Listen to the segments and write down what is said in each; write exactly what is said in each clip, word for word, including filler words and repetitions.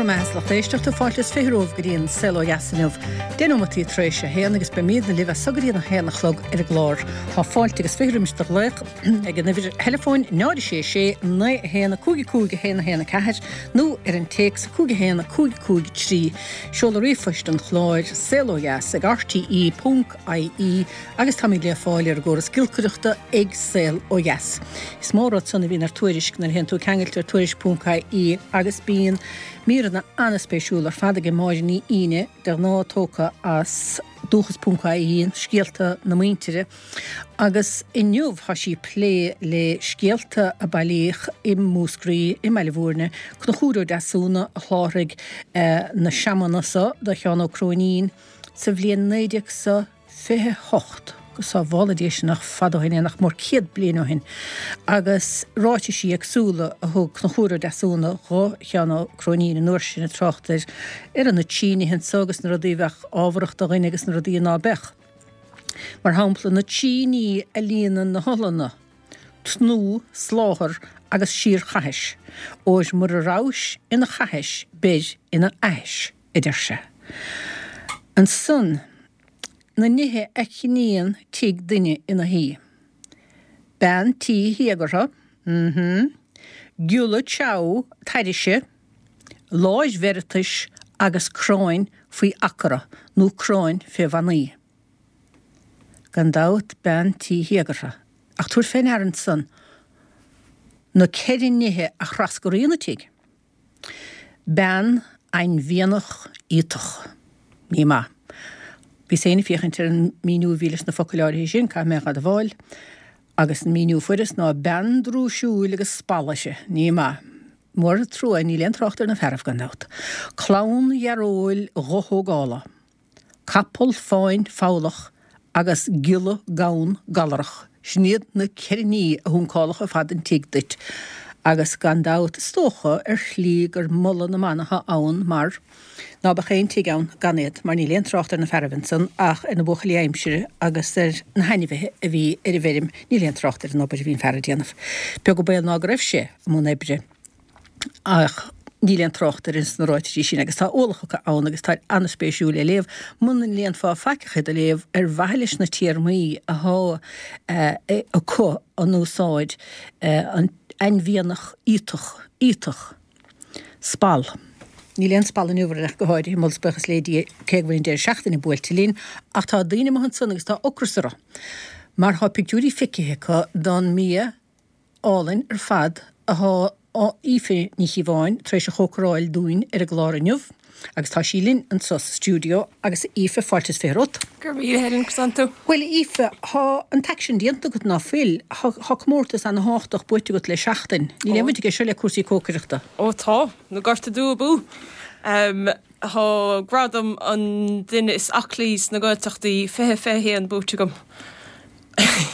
Go raibh maith agat, a lucht éisteachta, fáilte is fiche romhaibh go dtí an Saol Ó Dheas inniu. Deich nóimeataí tar éis a haon agus beimidne libh as so go dtí an a haon a chlog ar an gclár. Tá fáilte agus fiche roimis do ghlaoch ag an uimhir theileafóin náid a sé sé naoi a haon a cúig a cúig a haon a haon a ceathair nó ar an téacs cúig a haon a cúig cúig trí. Seoladh ríomhphoist an chláir saol ó dheas ag R T E ponc I E agus táimid le fáil ar an gcóras giolcaireachta ag Saol Ó Dheas. Is mór rud san a bhíonn ar Tuairisc nuair a théann tú ceangailte ar tuairisc ponc I E agus bíonn míreanna an-spéisiúil ar fad ag Máire Ní Aoine, de ghnáth tógtha as dúchas ponc I E, scéalta na muintire, agus inniu tá sí ag plé le scéalta a bailíodh i Múscraí i mBaile Bhúirne. Conchúr Ó Deasúna a sholáthraigh eh, na seamanna so do Sheán Ó Cróinín sa bhliain naoi déag sa fiche hocht. Go sábhála Dia sin, nach fada ó shin é, nach mór céad bliain ó shin, agus ráitisí éagsúla a thug Conchúr Ó Deasúna do Sheán Ó Cróinín an uair sin ag trácht ar ar na trí nithe anso agus na rudaí a bheadh ábharach do dhuine agus na rudaí ná beadh. Mar shampla, na trí ní a líonann na hotharlanna: tnúth, sláthar agus síorchaithis, óir mura rabhais ina chaithis beir ina aithis, a deir sé. Ansan na nithe a chníonn tigh duine ina shuí. Bean tí théagartha, mhm, giolla teamh tairise, láis bheireatais agus cráin faoi acara nó cráin fé bhannaí. Gan dabht bean tí théagartha. Ach tabhair fé ndear ansan na ceithre nithe a thrascraíonn an tigh. Bean ainmhianach iotach. Ní maith. Bhíos féin ag féachaint ar an míniú a bhí leis na focail áirithe sin, caithfidh mé a admháil, agus an míniú a fuaireas ná bean drúisiúil agus spalla uirthi. Ní maith. Mór an trua, níl aon trácht ar na fearaibh gan dabht. Clann dhearóil dhothógála. Capall fáin foghlach agus giolla gann galarach. Sin iad na ceithre ní a shuncálfadh ar fad an tigh duit. Agus gan dabht is dócha ar shlí gur moladh na mban atá ann, mar ná beadh aon tigh ann gan iad, mar níl aon trácht ar na fearaibh ansan ach ar na buachaillí aimsire agus ar na hainmhithe a bhí ar an bhfeirm. Níl aon trácht ar an obair a bhí an fear ag déanamh. Beag an baol ná go raibh sé i mbun oibre, ach níl aon trácht air ins na ráitisí sin, agus tá ualach acu ann agus tá an-spéisiúil le léamh. Muna léanfá faic ach iad a léamh ar mhaithe leis na téarmaí atá acu á n-úsáid, an ainmhianach iotach, iotach, spall. Níl aon spall inniu orainn ach go háirithe, moladh is buíochas le Dia, cé go bhfuil an deireadh seachtaine buailte linn, ach tá daoine amuigh ansan agus tá ocras orthu mar tá pictiúirí feicthe acu don mbia álainn ar fad atá Aoife Ní Chíobháin tar éis a chócaráil dúinn ar an gclár inniu, agus tá sí linn anseo sa stiúideo. Agus Aoife, fáilte is fiche romhat. Go raibh míle Helen tú. Bhuel Aoife, tá an t-aicsean déanta agat, ná fuil? Tá comórtas an-thábhachtach buaite agat le seachtain. Níl aon bhaint aige seo le cúrsaí cócaireachta. Ó tá, na Gorta Dubha abú. Um, Tá gradam an duine is aclaí sna Gaeltachtaí fiche fiche haon buaite agam.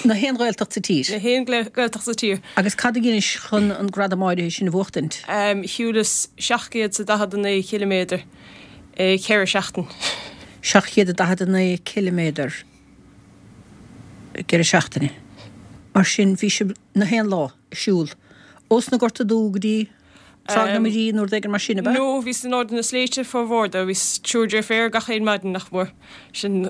Na haon Ghaeltacht sa tír. Na haon Gaeltacht sa tír. Agus cad a dheinis chun an gradam áirithe sin a bhuachtaint? Um, Shiúlas seacht gcéad is daichead a naoi ciliméadar i ceithre seachtain. Seacht chéad a daichead a naoi ciliméadar i gceithre seachtaine. Mar sin bhí sibh na haon lá ag siúl. Ós na Gorta Dubha go dtí Tráigh na Muirí nó rud éigin mar sin, ab ea? No, bhíos in airde na sléibhte formhór de, bhíos triúr deirféar gach aon maidin, nach mór. Sin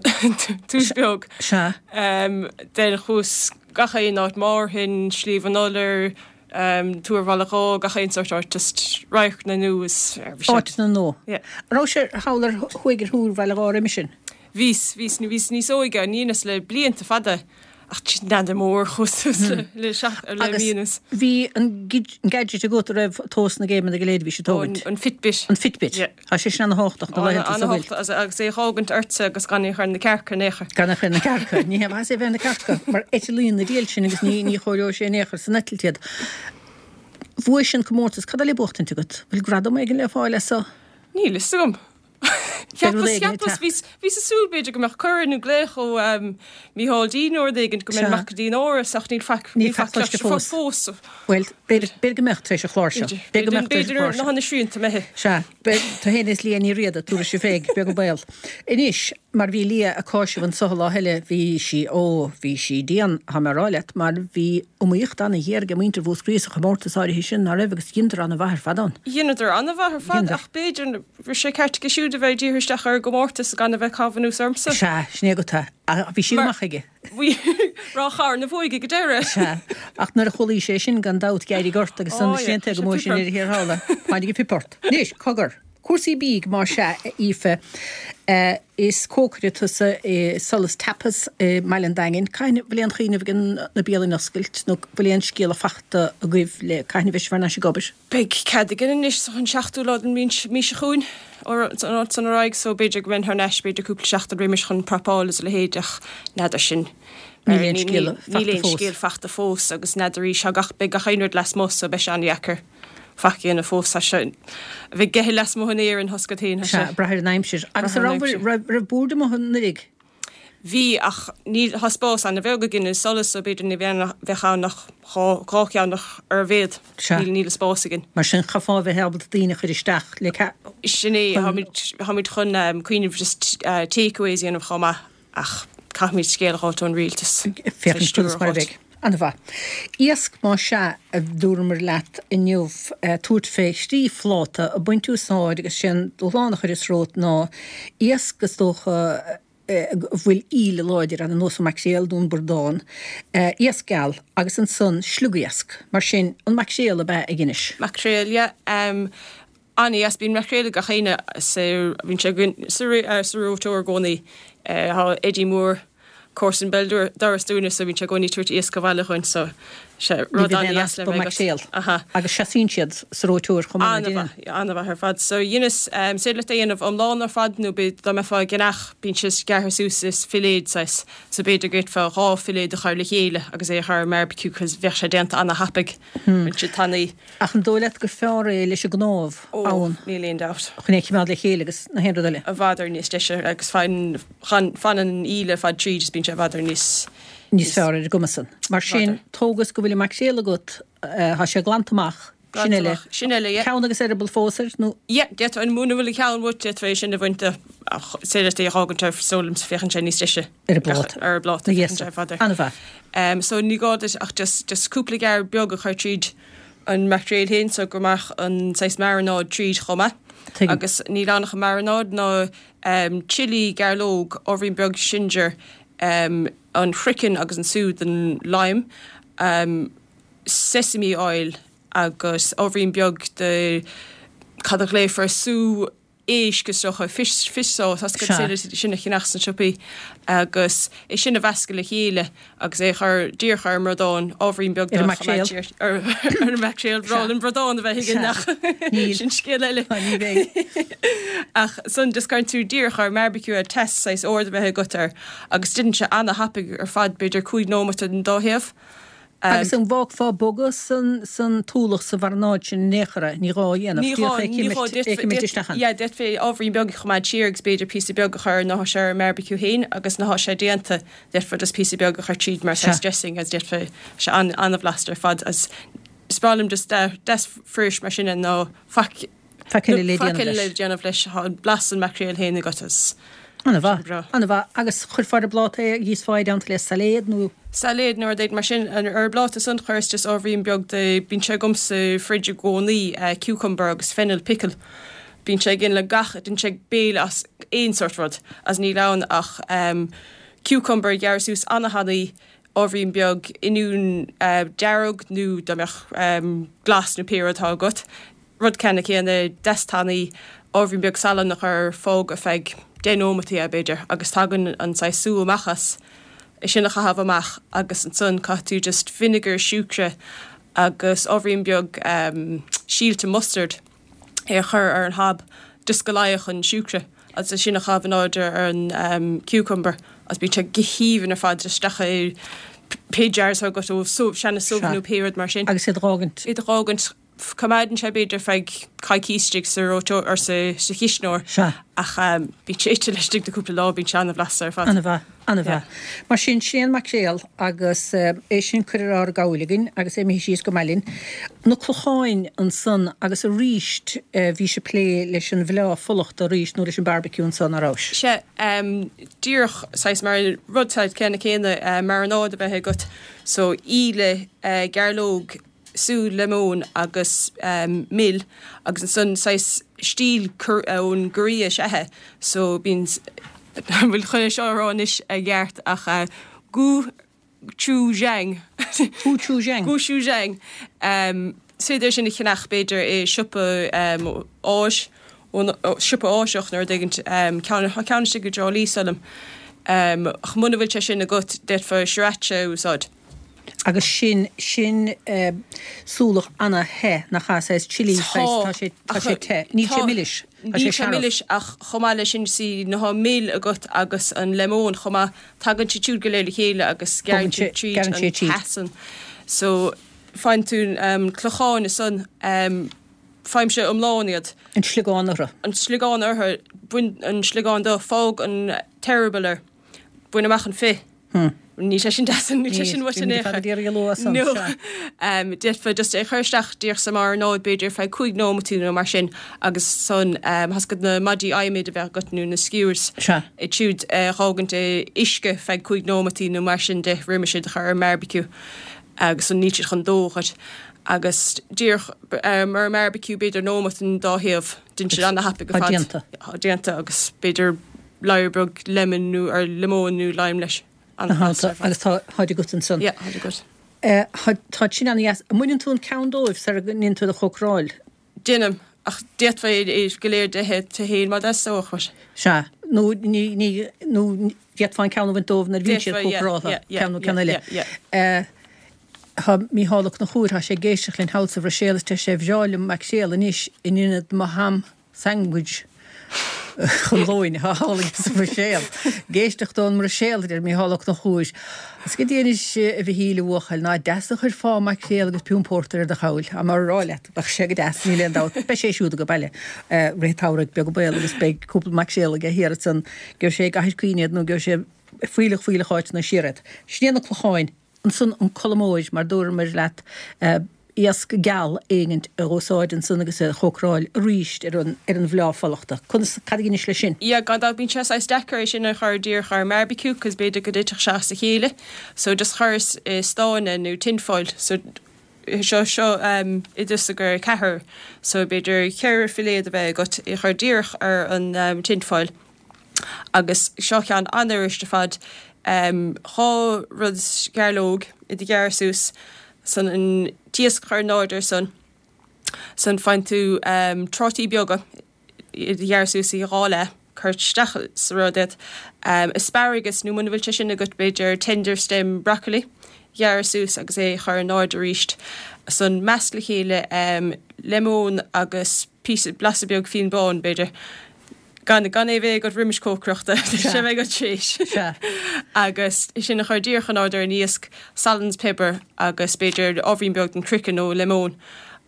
tús beag. Sea. Um, then chuas gach aon áit, Márthain, Sliabh an Iolair, um, Túr Bhaile Dhó, gach aon sort áit, just radharc na nua is Áit na nua. Yeah. Raibh sé thall ar thuaidh ar Thúr Bhaile Dhó roimhe sin? Bhíos, bhíos, bhíos níos óige, ní dheineas le blianta fada, ach n'fheadar mór chuas le le seach le Agus mí anuas. bhí an gid- an gadget agat a raibh tomhas na gcéimeanna go léir a bhí sé tógaint. An, an Fitbit. An Fitbit. Yeah. Tá sé sin an-thábhachtach na laethanta sa bhfuil. Agus agus é thógaint ortsa agus gan é chur na cearca in aon chor. Gan a chur na cearca. Ní hé é bheith na cearca, mar eitilíonn na diail sin agus ní ní chóireoidh sé in aon chor san eitilt iad. Bhuaigh sin comórtas, cad le buachtaint agat? Bhfuil gradam éigin le fáil as so? Níl fhios agam. Beidh rud Cheapas éigin ag cheapas teacht. bhíos bhíos ag súil b'fhéidir go mbeadh cuireadh nó glaoch ó um, Mícheál D nó rud éigin go Sea. mbeinn amach go dtí an Áras, ach níl faic Níl níl faic faic cloiste cloiste fós. fós. Well, b'fhéidir b'fhéidir go mbeadh tar éis an chláir seo. B'fhéidir go mbeadh tar éis an B'fhéidir chláir na seo. hana srianta methe. Sea, tú féin is Liadh Ní Riada, tabharfaidh sibh féig, beag an baol. Anois, Mar bhí Lia ag cáiseamh anso lá eile, bhí sí, ó, bhí sí dian, thá mé a rá leat, mar bhí iomaíocht ana-ghéar ag muintir Mhúscraí sa chomórtas áirithe sin, ná raibh, agus dheineadar ana-mhaith ar fad ann. Dheineadar ana-mhaith ar fad, ach b'fhéidir, bhí sé ceart aige siúd a bheith ag díriú isteach ar an gcomórtas gan a bheith ag caitheamh anuas ormsa. Sea, sin é agat é. Ach bhí sí go maith aige. Bhí Ráth Chairn a bhuaigh ag an deireadh. Sea, ach nuair a chualaís é sin gan dabht d'éirigh ort agus san is déanta go mór sin ar a thiar thall. Tháinig an pip ort. Anois, cogar. Cúrsaí bídh, más ea, a Aoife. Is cócaire tusa i Solas Tapas i mBaile an Daingin. Cathain a bhfuil aon chuimhneamh ag na bialanna oscailt nó bhfuil aon scéala fachta agaibh le cathain a bheidh sibh thar n-ais ag obair? Beidh cead againn anois an seachtú lá den mhí seo chugainn an áit san ar aghaidh so b'fhéidir go mbeinn thar n-ais b'fhéidir cúpla seachtain roimis chun prapáil is a leithéid ach n'fheadar sin. Níl aon scéala fachta fós. Níl aon scéal fachta fós agus n'fheadar arís tá gach beidh gach aon rud lasmuigh so beidh sé an-dheacair. Faic a dhéanamh fós, tá sé a bheith ag ithe lasmuigh in Éirinn, thosaigh agat féin, tá sé. Sea, brath ar an aimsir. Agus an raibh, raibh, raibh bord amuigh anuraidh? Bhí, ach níl, tá spás ana-bheag againn i Solas so b'fhéidir ní bheadh, bheadh ann ach dhá, dhá cheann ach ar a mhéad. Sea. Níl, níl an spás againn. Mar sin, chaithfeá a bheith ábalta daoine a chur isteach le ce-. Sin é, táimid, táimid chun cuimhneamh just takeaways a dhéanamh chomh maith ach caithfimid scéal a fháilt ón rialtas. Féachaint conas mar a bheidh. An-mhaith. Iasc, más ea, a dúramar leat inniu, tabhairt fé thrí phláta ag baint úsáid agus sé an dúshlán a chuireas romhat ná iasc is dócha a bhfuil íle láidir ann ar nós an maicréal nó an bradán, iasc geal agus ansan sliogiasc. Mar sin, an maicréal ab ea ag Inis? Maicréal, yeah. An-dheas, bíonn maicréal ag gach éinne sa, bíonn sé againn sa reoiteoir i gcónaí. Tá Eddie Mór, comharsan béal dorais dúinne so bíonn sé i gcónaí ag tabhairt iasc abhaile chugainn so sé rud an-dheas le bheith agat. Aha. Agus seasaíonn siad sa reoiteoir chomh maith, an An-mhaith, an-mhaith ar fad. So dheineas, is féidir leat é a dhéanamh iomlán ar fad nó b'fhéidir dá mbeifeá ag ceannach bíonn sé gearrtha suas is filléid saghas so b'fhéidir go bhféadfá dhá filléad a chur le chéile agus é a chur ar an mbarbecue cos bheadh sé déanta an-thapaidh. Bíonn sé tanaí. Ach an dóigh leat gur fearr é leis an gcnámh Ó, ann? níl aon dabht. Chun é a choimeád le chéile agus na haon rud eile. I bhfad ar níos deise agus faigheann, fanann an íle ar fad tríd is bíonn sé i bhfad ar níos. Níos fearr ar an gcuma san. Mar sin, tógas go bhfuil an maicréal agat, tá sé glanta amach, sin Glanta eile. amach, sin eile, yeah. Ceann agus eireaball fós air, nó? Yeah, d'fhéadfá, muna bhfuil an ceann uait, d'fhéadfá é sin a bhaint de ach is féidir leat é a fhágaint air, is dóigh liomsa, féachann sé níos deise. Ar an bpláta. Ar an bpláta, féachann sé i bhfad ar. An-mhaith. Um, so ní gá duit ach just, just cúpla gearr beag a chur tríd an maicréal féin so go mbeadh an saghas marinade tríd chomh maith. Tuigim. Agus níl ann ach an marinade ná um, chili, gairleog, ábhairín beag ginger, um, an craiceann agus an sú den lime, um, sesame oil agus ábhairín beag de cad a ghlaofar sú éisc is dócha, fish, fish sauce, as Sea. sin a cheannach sna siopaí agus é sin a mheascadh le chéile agus é a chur díreach ar an mbradán, ábhairín beag Ar an de maicréal. choimeád ar ar an maicréal, breá liom bradán a bheith againn Sea. ach Níl. sin scéal eile. Ní bheidh. Ach san just cuireann tú díreach ar an mbarbecue ar teas saghas ard a bheith agat air agus déanann sé ana-thapaidh ar fad b'fhéidir cúig nóiméad den dá thaobh. Agus an bhfágfá bogadh san san t-ualach sa mharanáid sin in aon chor é? Ní gá a dhéanamh, Ní gá, díreach é ní gá, cimilt, é cimilt isteach ann. Yeah, d'fhéadfaí ábhairín beag a choimeád siar agus b'fhéidir píosa beag a chur nuair atá sé ar an mbarbecue féin agus nuair atá sé déanta d'fhéadfá just píosa beag a chur tríd mar Sea. saghas dressing agus d'fhéadfá sé an an-bhlasta ar fad as is breá liom just de deas fuirist mar sin ná faic Faic eile le faic déanamh eile leis. le déanamh leis, tá an blas an maicréil féin agat as An-mhaith, breá. an-mhaith. Agus chuirfeá ar an bpláta é, íosfá é i dteannta le sailéad nó? Sailéad nó rud éigin mar sin. Ar an bpláta san chuireas just ábhairín beag de, bíonn sé agam sa fridge i gcónaí, cucumber agus fennel pickle. Bíonn sé againn le gach, déanann sé béile as aon sórt rud, as níl ann ach cucumber a ghearradh suas ana-thanaí, ábhairín beag oinniún dearg nó dá mbeadh glas nó pé rud atá agat, rud ceannann céanna, deas tanaí, ábhairín beag salainn a chur, fág ar feadh deich nóimeataí é b'fhéidir agus tagann an saghas sú amach as, é sin a chaitheamh amach agus ansan caithfidh tú just vinegar, siúcra agus ábhairín beag síolta mustard é a chur ar an hob just go leáfadh an siúcra agus é sin a chaitheamh in airde ar an cucumber agus bíonn sé go haoibhinn ar fad isteach i pé jars atá agat ó subh, seana subh nó pé rud mar sin. Agus iad a dh'fhágaint. Iad a dh'fhágaint. Coimeádann sé b'fhéidir feadh coicís istigh sa reoiteoir or sa sa chisneoir. Sea. Ach bíonn sé ite laistigh de cúpla lá, bíonn sé an-bhlasta ar fad. An-mhaith, an-mhaith. Mar sin, sin é an maicréal agus é sin curtha ar ár gcabhail againn agus é imithe síos go maith linn. Na clocháin ansan agus arís bhís ag plé leis an bhfleá fulachta arís nó leis an barbecue ansan, a rabhais? Sea, díreach saghas mar rud saghas céanna céanna marinade a bheith agat so íle, gairleog, sú liomóin agus mil agus ansan saghas stíl ón gCorea is ea é so bíonn an bhfuil chun é seo a rá anois i gceart ach gochujang Gochujang. Gochujang. Is féidir é sin a cheannach b'fhéidir i siopa Áis siopa Áiseach nó rud éigin ceann ceann istigh i dTrá Lí sílim. Ach muna bhfuil sé sin agat d'fhéadfá sriracha a úsáid. Agus sin, sin súlach ana-the, nach ea? Saghas chilli, saghas, tá sé, tá sé te. Níl sé milis, tá sé Níl sé searbh. milis ach chomh maith leis sin, see, nuair atá mil agat agus an lemon chomh maith, tagann siad siúd go léir le chéile agus gearrann Bogann sé, siad tríd gearrann an sé tríd. teas san. So, faigheann tú clocháin ansan, faighimse iomlán iad. An sliogán orthu. An sliogán orthu, bain an sliogán de, fág an t-eireaball air, bain amach an fith. Níl sé sin deas, níl sé sin uait in aon chor. No. D'fhéadfá just é a chur isteach díreach sa marinade b'fhéidir feadh cúig nóimeataí nó mar sin agus ansan tá a fhios agat na maidí adhmaid a bheadh agat nó na skewers iad siúd a dh'fhágaint i uisce feadh cúig nóimeataí nó mar sin de roimis iad a chur ar an mbarbecue agus ansan níl siad chun dó dhuit. Agus díreach ar an mbarbecue b'fhéidir nóimeat an dá thaobh, déanann siad ana-thapaidh ar Tá fad. déanta. Tá déanta agus b'fhéidir ladhar beag lemon nó or liomóin nó lime leis. Ana-bhlasta ar fad. Agus tá táid agat ansan. Yeah, táid agat. Tá sin ana-dheas. An mbaineann tú an ceann dóibh sara ndéanann tú iad a chócaráil? Déanaim, ach d'fhéadfá é go léir d'ithe tú féin má theastódh uait. Sea, nó ní, ní, nó d'fhéadfá an ceann a bhaint dóibh nuair a bhíonn siad D'fhéadfá, yeah, cócaráltha, yeah, yeah, ceann nó ceann yeah, eile. yeah, yeah. Tá Mícheál Ó Conchúir, tá sé ag éisteacht linn thall sa Bhruiséil is deir sé, bhreá liom maicréal anois in ionad mo ham sandwich chun lóin, atá thall sa Bhruiséil. Ag éisteacht ón mBruiséil, a deir Mícheál Ó Conchúir. Is goidé anois a Mhichíl, a bhuachaill, ná deas a chuirfeá maicréal agus piún pórtair ar do chabhail. Tá mé a rá leat, bheadh sé go deas, níl aon dabht. Beidh sé siúd ag baile rith an tsamhraidh, beag an baol, agus beidh cúpla maicréal aige thiar ansan. Gheobhaidh sé i gCathair Quinn iad nó gheobhaidh sé fuílleach fuílleach áiteanna siar iad. Sin iad na clocháin. Ansan an colamóir, mar dúramar leat, iasc geal éigint a dh'úsáid ansan agus a chócaráil arís ar an ar an bhfleá fulachta. Conas, cad a dheinis leis sin? Yeah, gan dabht bíonn sé saghas deacair é sin a chur díreach ar an mbarbecue cos b'fhéidir go dtitfeadh sé as a chéile. So just chuireas i stán é nó tin foil. So seo seo um, oideas i gcomhair ceathrar. So b'fhéidir ceithre filléad a bheith agat é chur díreach ar an um, tin foil. Agus seo ceann an-fhuirist ar fad. Dhá rud gairleog iad a ghearradh suas san an t-iasc a chur in airde ar san san faigheann tú trátaí beaga iad a ghearradh suas i dhá leath cur isteach sa rud iad. Asparagus nó muna bhfuil sé sin agat b'fhéidir tender stem broccoli ghearradh suas agus é a chur in airde arís. San measc le chéile lemon agus píosa blasa beag fíon bán b'fhéidir. Gan gan é bheith agat roimis cócaireachta, sé bheith agat tar éis. Sea. Agus sin a chur díreach in airde ar an iasc, salann is piobar agus b'fhéidir ábhairín beag den craiceann nó lemon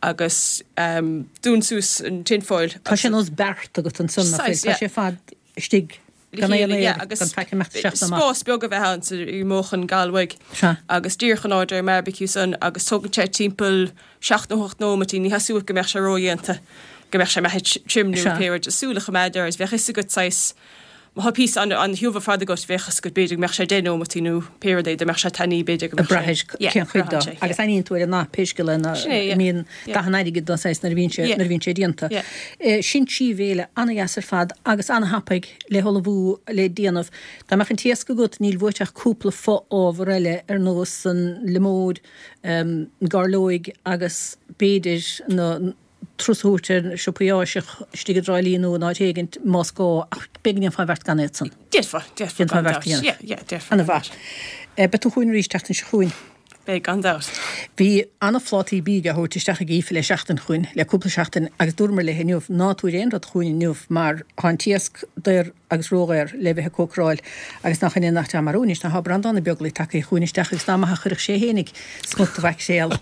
agus um, dún suas an tin foil. Tá sé nós beart agat ansan, nach bhfuil? Tá sé fad istigh gan aon aer, agus gan faic imeacht isteach ná amach. spás beag a bheith ann sa i móch an gal uaidh. Sea. Agus díreach in airde ar an mbarbecue san agus tógann sé timpeall seacht nó hocht nóimeataí, ní theastóidh go mbeadh sé ródhéanta. go mbeadh sé imithe tirim nó pé rud, súil a choimeád air agus bheadh fhios agat saghas, má tá píosa an-tiubh ar fad agat, bheadh fhios agat b'fhéidir go mbeadh sé deich nóimeataí nó pé rud é, dá mbeadh sé tanaí b'fhéidir go mbeadh sé. Ag brath cén chuid dó. Agus aithníonn tú ar an ndath pé scéal é ná mbíonn dath an airgid dó saghas nuair a bhíonn sé nuair a bhíonn sé déanta. Sin trí bhéile an-dheas ar fad agus an-thapaidh le hullmhú le déanamh. Dá mbeadh an t-iasc agat níl uait ach cúpla fo-ábhar eile ar nós an liomóid, an gairleoig agus b'fhéidir na turas a thabhairt ar siopaí Áiseach istigh i dTrá Lí nó in áit éigint más gá, ach b'fhéidir go ndéanfá an bheart gan iad san. D'fhéadfá, d'fhéadfá Déanfá gan an bheart dabht. a dhéanamh. Yeah, yeah, déarfá. Ana mhaith. Beidh tú chugainn arís tseachtain seo chugainn. Beidh, gan dabht. Bhí an-phlátaí bídh á thabhairt isteach ag Aoife le seachtain chugainn, le cúpla seachtain, agus dúramar léi inniu, ná tabhair aon rud chugainn inniu mar tá an t-iasc daor agus ródhaor le bheith ag cócaráil agus nach in é nach dea marú anois ná tá Breandán Ó Beaglaoich tagtha chugainn isteach agus nach maith a chuirfeadh sé fhéinig smut de mhaicréal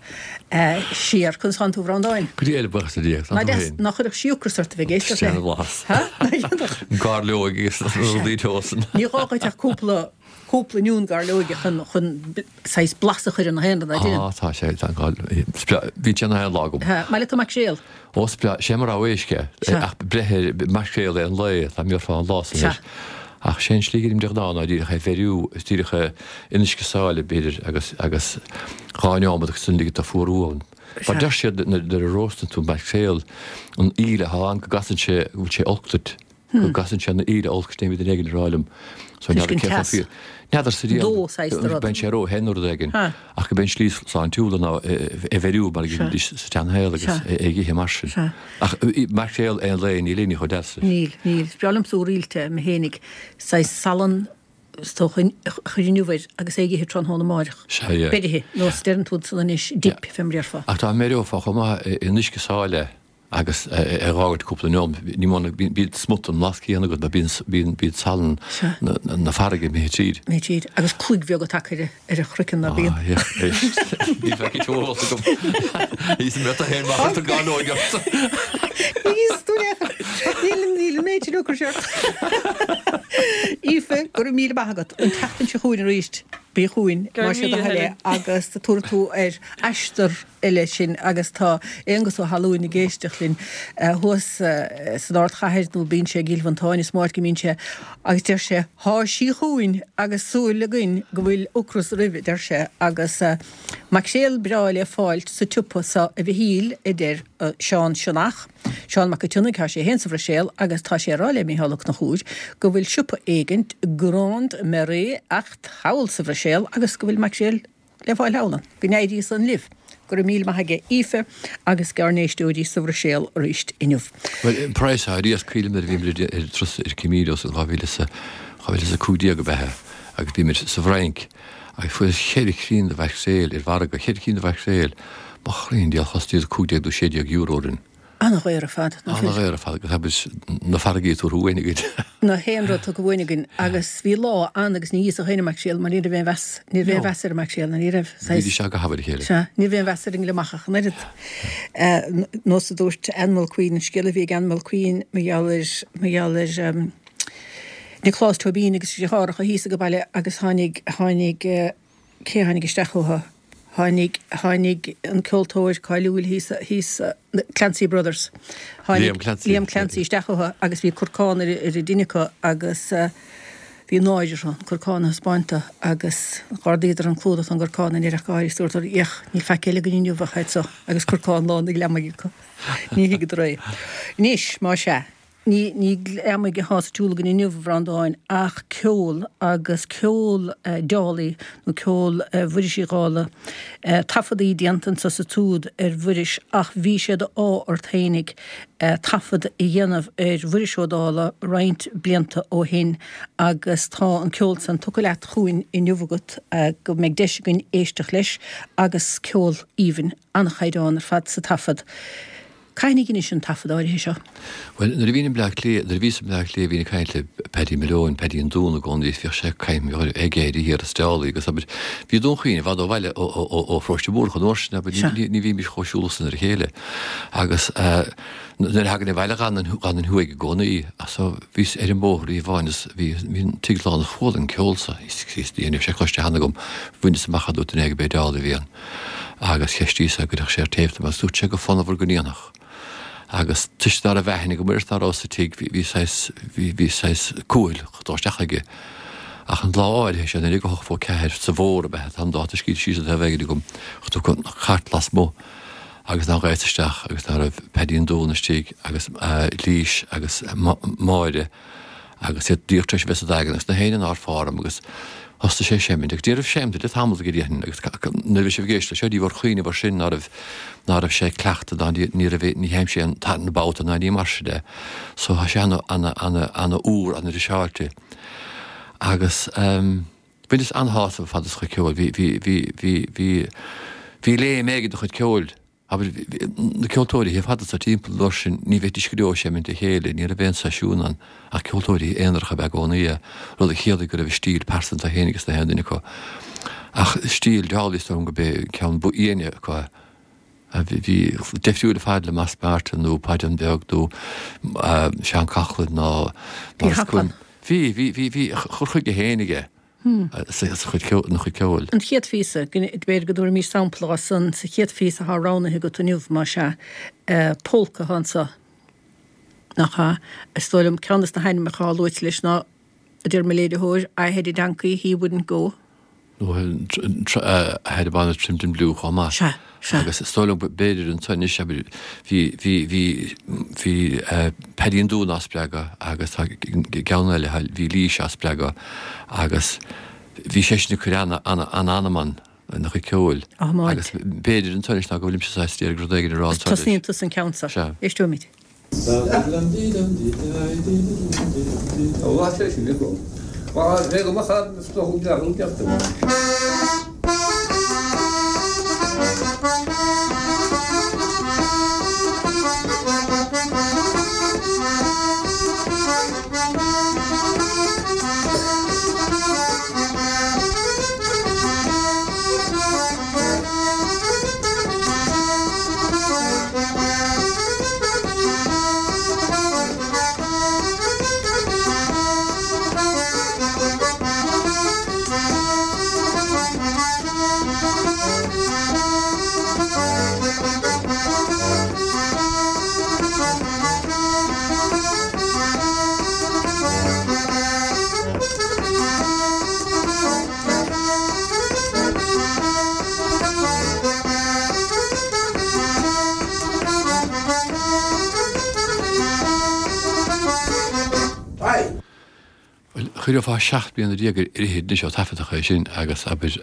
siar. Conas tánn tú a Bhreandáin? Go diail, buíochas le Dia, tá tú féin? Nach chuirfeadh sí ocras ort a bheith ag éisteacht léi? Sin an-bhlas. Ha? Nach ionadh? Gairleoig agus rudaí teo san. Ní gá dhuit ach cúpla cúpla oinniún gairleoige chun chun saghas blas a chur ar na haon rud, ná déan? Á, tá sé, tá an gá, is breá, bhí sé ina haon lá agam. Ha, maith leat an maicréal? Ó, is breá, sé mo rogha éisc é, ach breith ar maicréal é an lae, dá mbéarfá an lá san Sea. air. Ach sé an slí go dtim de ghnáth ná díreach é bheiriú, is díreach é in uisce sáile, b'fhéidir, agus, agus dhá neomat agus ansin ligint dó fuarú ann. Mar Sea. deir siad nuair a róstann tú maicréal, an íle atá ann go gcasann sé, go bhfuil sé olc duit. Go gcasann sé na íle olc, sin é a bhí duine éigin ag rá liom. So Toisc n'fheadar an cé chomh teas. fíor. N'fheadar sa riail, Dó saghas de rud. bíonn sé ró-the nó rud éigin. Ha. Ach go b'é an slí sláintiúla ná é bheiriú mar a Sea. dhéanaidís sa tseanshaol agus Sea. é ag ithe mar sin. Sea. Ach maicréal aon lae níl aon ní chomh deas leis. Níl, níl. Is breá liomsa úr-rilte mé fhéinig, saghas salann is dócha a chur in uabhar agus é ag ithe tráthnóna amáireach. Sea, yeah. Beirithe, nó is deireann tú san anois, dip, fé mar a déarfá. Ach dá mbeireofá chomh maith in uisce sáile agus é dh'fhágaint cúpla neomat, ní mó ná bíonn smut an bhlas céanna agat, mar bíonn bíonn salann na farraige imithe tríd. Imithe tríd. Agus cloig bheag tagtha ar a chroiceann ná bíonn. Ah, yeah, éist. Ní bheadh an t-eolas agam. Is mé féin mar chuir tú gairleoig ort. Ní tú Níl níl an méid sin ocrais ort. Aoife, go raibh míle maith agat. An tseachtain seo chugainn arís, bí chugainn, Go má raibh sé do míle, thoil é, Helen. agus tabharfaidh tú ar aistear eile sinn agus tá Aonghus Ó hAlmhain ag éisteacht linn thuas san ardchathair nó bíonn sé i gCill Mhantáin is mó áit go mbíonn sé agus deir sé thá sí chugainn agus súil againn go bhfuil ocras roimhe deir sé agus maicréal breá le fáilt sa tsiopa so a Mhichíl a deir Seán Sionnach, Seán Mac an tSionnaigh, tá sé féin sa Bhruiséil agus tá sé ag rá le Mícheál Ó Conchúir go bhfuil siopa éigint Grande Marée Acht thall sa Bhruiséil agus go bhfuil maicréal le fáil thall ann. Go n-éirí san libh. Go raibh míle maith aige Aoife agus ag ár n-éisteoirí sa Bhruiséil arís inniu. Bhuel, an praghas ar iasc cuimhním nuair a bhíomar ar turas ar Camino sa dhá mhíle is a, dhá mhíle is a cúig déag ab ea é, agus bhíomar sa bhFrainc agus fuarthas ceithre cinn de mhaicréil ar mhargadh, ceithre cinn de mhaicréil, mo chroí diail chosnaíodar cúig déag nó sé déag euro orainn. An-dhaor ar fad, nach bhfuil? An-dhaor ar fad, agus tá na farraigí tabhartha uainn againn. Na haon rud tugtha uainn againn, agus bhí lá ann agus ní íosfadh éinne maicréal mar ní raibh aon mheas, ní raibh aon mheas ar an maicréal, ní raibh, saghas. Bhídís go hábhair a chéile. Sea, ní raibh aon mheas ar an ngliomach ach an oiread. Nós a dúirt Ann Mulqueen, an scéal a bhí ag Ann Mulqueen mar gheall ar, mar gheall ar Nioclás Tóibín agus a dheartháireacha thíos ag baile agus tháinig, tháinig, cé a tháinig isteach chucu? Tháinig, tháinig an ceoltóir cáiliúil thíos, thíos, Clancy Brothers. Tháinig Liam Clancy. Liam Clancy isteach chucu agus bhí corcán ar, ar an duine acu agus bhí náire orthu an corcán a thaispeáint dó agus dh'ardaíodar an clúdach don gcorcán ní raibh ach gáire is dúradar, Féach, níl faic eile againn inniu ach iad so agus corcán lán de ghliomaigh acu. Ní thuigeadar é. Anois, más ea. Ní ní gliomaigh atá sa tsiúl againn inniu, a Bhreandáin, ach ceol agus ceol Dálaigh nó ceol Mhuiris Uí Dhálaigh. Taifeadaí déanta anso sa tsiúd ar Mhuiris ach bhí sé d'ádh ort fhéinig taifead a dhéanamh ar Mhuiris Ó Dálaigh roinnt blianta ó shin agus tá an ceol san tugtha leat chugainn inniu agat go mbeidh deis againn éisteacht leis agus ceol aoibhinn, an-chaighdeán ar fad sa taifead. Cathain a dheinis an taifead áirithe seo? Bhuel, nuair a bhínn i mBleá Cliath, nuair a bhíos i mBleá Cliath bhínn ag caint le Paddy Malone, Paddy an Dún i gcónaí, bhíodh sé ag caint ag éirí thiar as Dálaigh agus abair, bhí Dún Chaoin i bhfad ó bhaile ó, ó, ó, ó Pharóiste Múrach an uair sin, abair, Sea. ní, ní bhímis chomh siúlach san ar a chéile. Agus eh, nuair a thagainn abhaile dh'fhanainn, dh'fhanainn thuaidh i gcónaí, ach so bhíos ar an mbóthar oíche amháin is bhí, bhí an tigh lán is chuala an ceol so, is, is, ní raibh sé cloiste cheana agam, bhaineas amach é dúirt duine éigin gurb é Dálaigh a bhí ann. Agus cheistíos é an gcuirfeadh sé ar téip dom agus dúirt sé go fonnmhar go ndéanfadh. Agus toisc ná raibh aithne agam air is ná raibh sa tigh, bhí, bhí saghas, bhí, bhí saghas cúthail dul isteach aige. Ach an lá áirithe sin, nuair a hocht fó ceathair sa bhfómhar ab ea, tá an dáta scríte síos ar thaobh éigin agam, chuir an chairt lasmuigh agus ná ghaibhas isteach agus ná raibh Paddy an Dún istigh agus Lís agus Máire agus iad díreach tar éis a bheith sa Daingean agus na héinne nár phár orm agus thosaigh sé ag seimint agus ní raibh seimint le tamall go dtéann agus nuair a bhí sibh ag éisteacht leis seo ní bhur chuimhneamh air sin ná raibh ná raibh sé ag cleachtadh ná ní raibh ní sheinn sé an na babhta ná ní mar sin de so tá sé ana ana ana ana úr ana fhriseáilte agus um, Bhaineas an-shásamh ar fad as a chuid ceoil. Bhí, bhí, bhí, bhí, bhí, bhí léim éigin dá chuid ceoil. Abair, na ceoltóirí ar fad sa timpeall an uair sin, ní bheidís go deo ag seimint le chéile, ní raibh aon seisiún ann ach ceoltóirí aonaracha ab ea i gcónaí, rud a chiallaigh go raibh a stíl pearsanta féin aige na haon duine acu. Ach stíl Dálaigh is dóigh liom gurb é ceann ba fhiáine acu é. Bhí deifriúil ar fad le Moss Martin nó Paidí Beag nó Seán Coughlan nó Bhí Quinn. Bhí, bhí, bhí, bhí a chur chuige féin aige sa chuid ceoil, ina chuid ceoil. An chéad phíosa, b'fhéidir go dtabharfaimis sampla dhó san, sa chéad phíosa atá roghnaithe agat inniu, más ea, polca atá anso, nach ea? Is dóigh liom ceann de na hainmneacha atá luaite leis ná, a deir mo léiritheoir, I had a donkey, he wouldn't go. Nó I had a bonnet trimmed in blue chomh maith. Sea, sea. Agus is dóigh liom b'fhéidir ansan anois, abair, bhí, bhí, bhí, bhí Paddy an Dúin á spreagadh agus tá ceann eile, bhí Laois á spreagadh agus bhí seisean ag cur ana, ana, an-anam ann ina chuid ceoil. Á, maith. Agus b'fhéidir ansan anois ná go bhfuilimse saghas d'iarraidh rud éigin a rá ansan leis. Tosnaíonn tusa an ceann seo. Sea. Éisteoimid. Bhuel, chuirfeá seacht mbliana déag ar fhichid anois ó taifeadadh é sin agus, abair,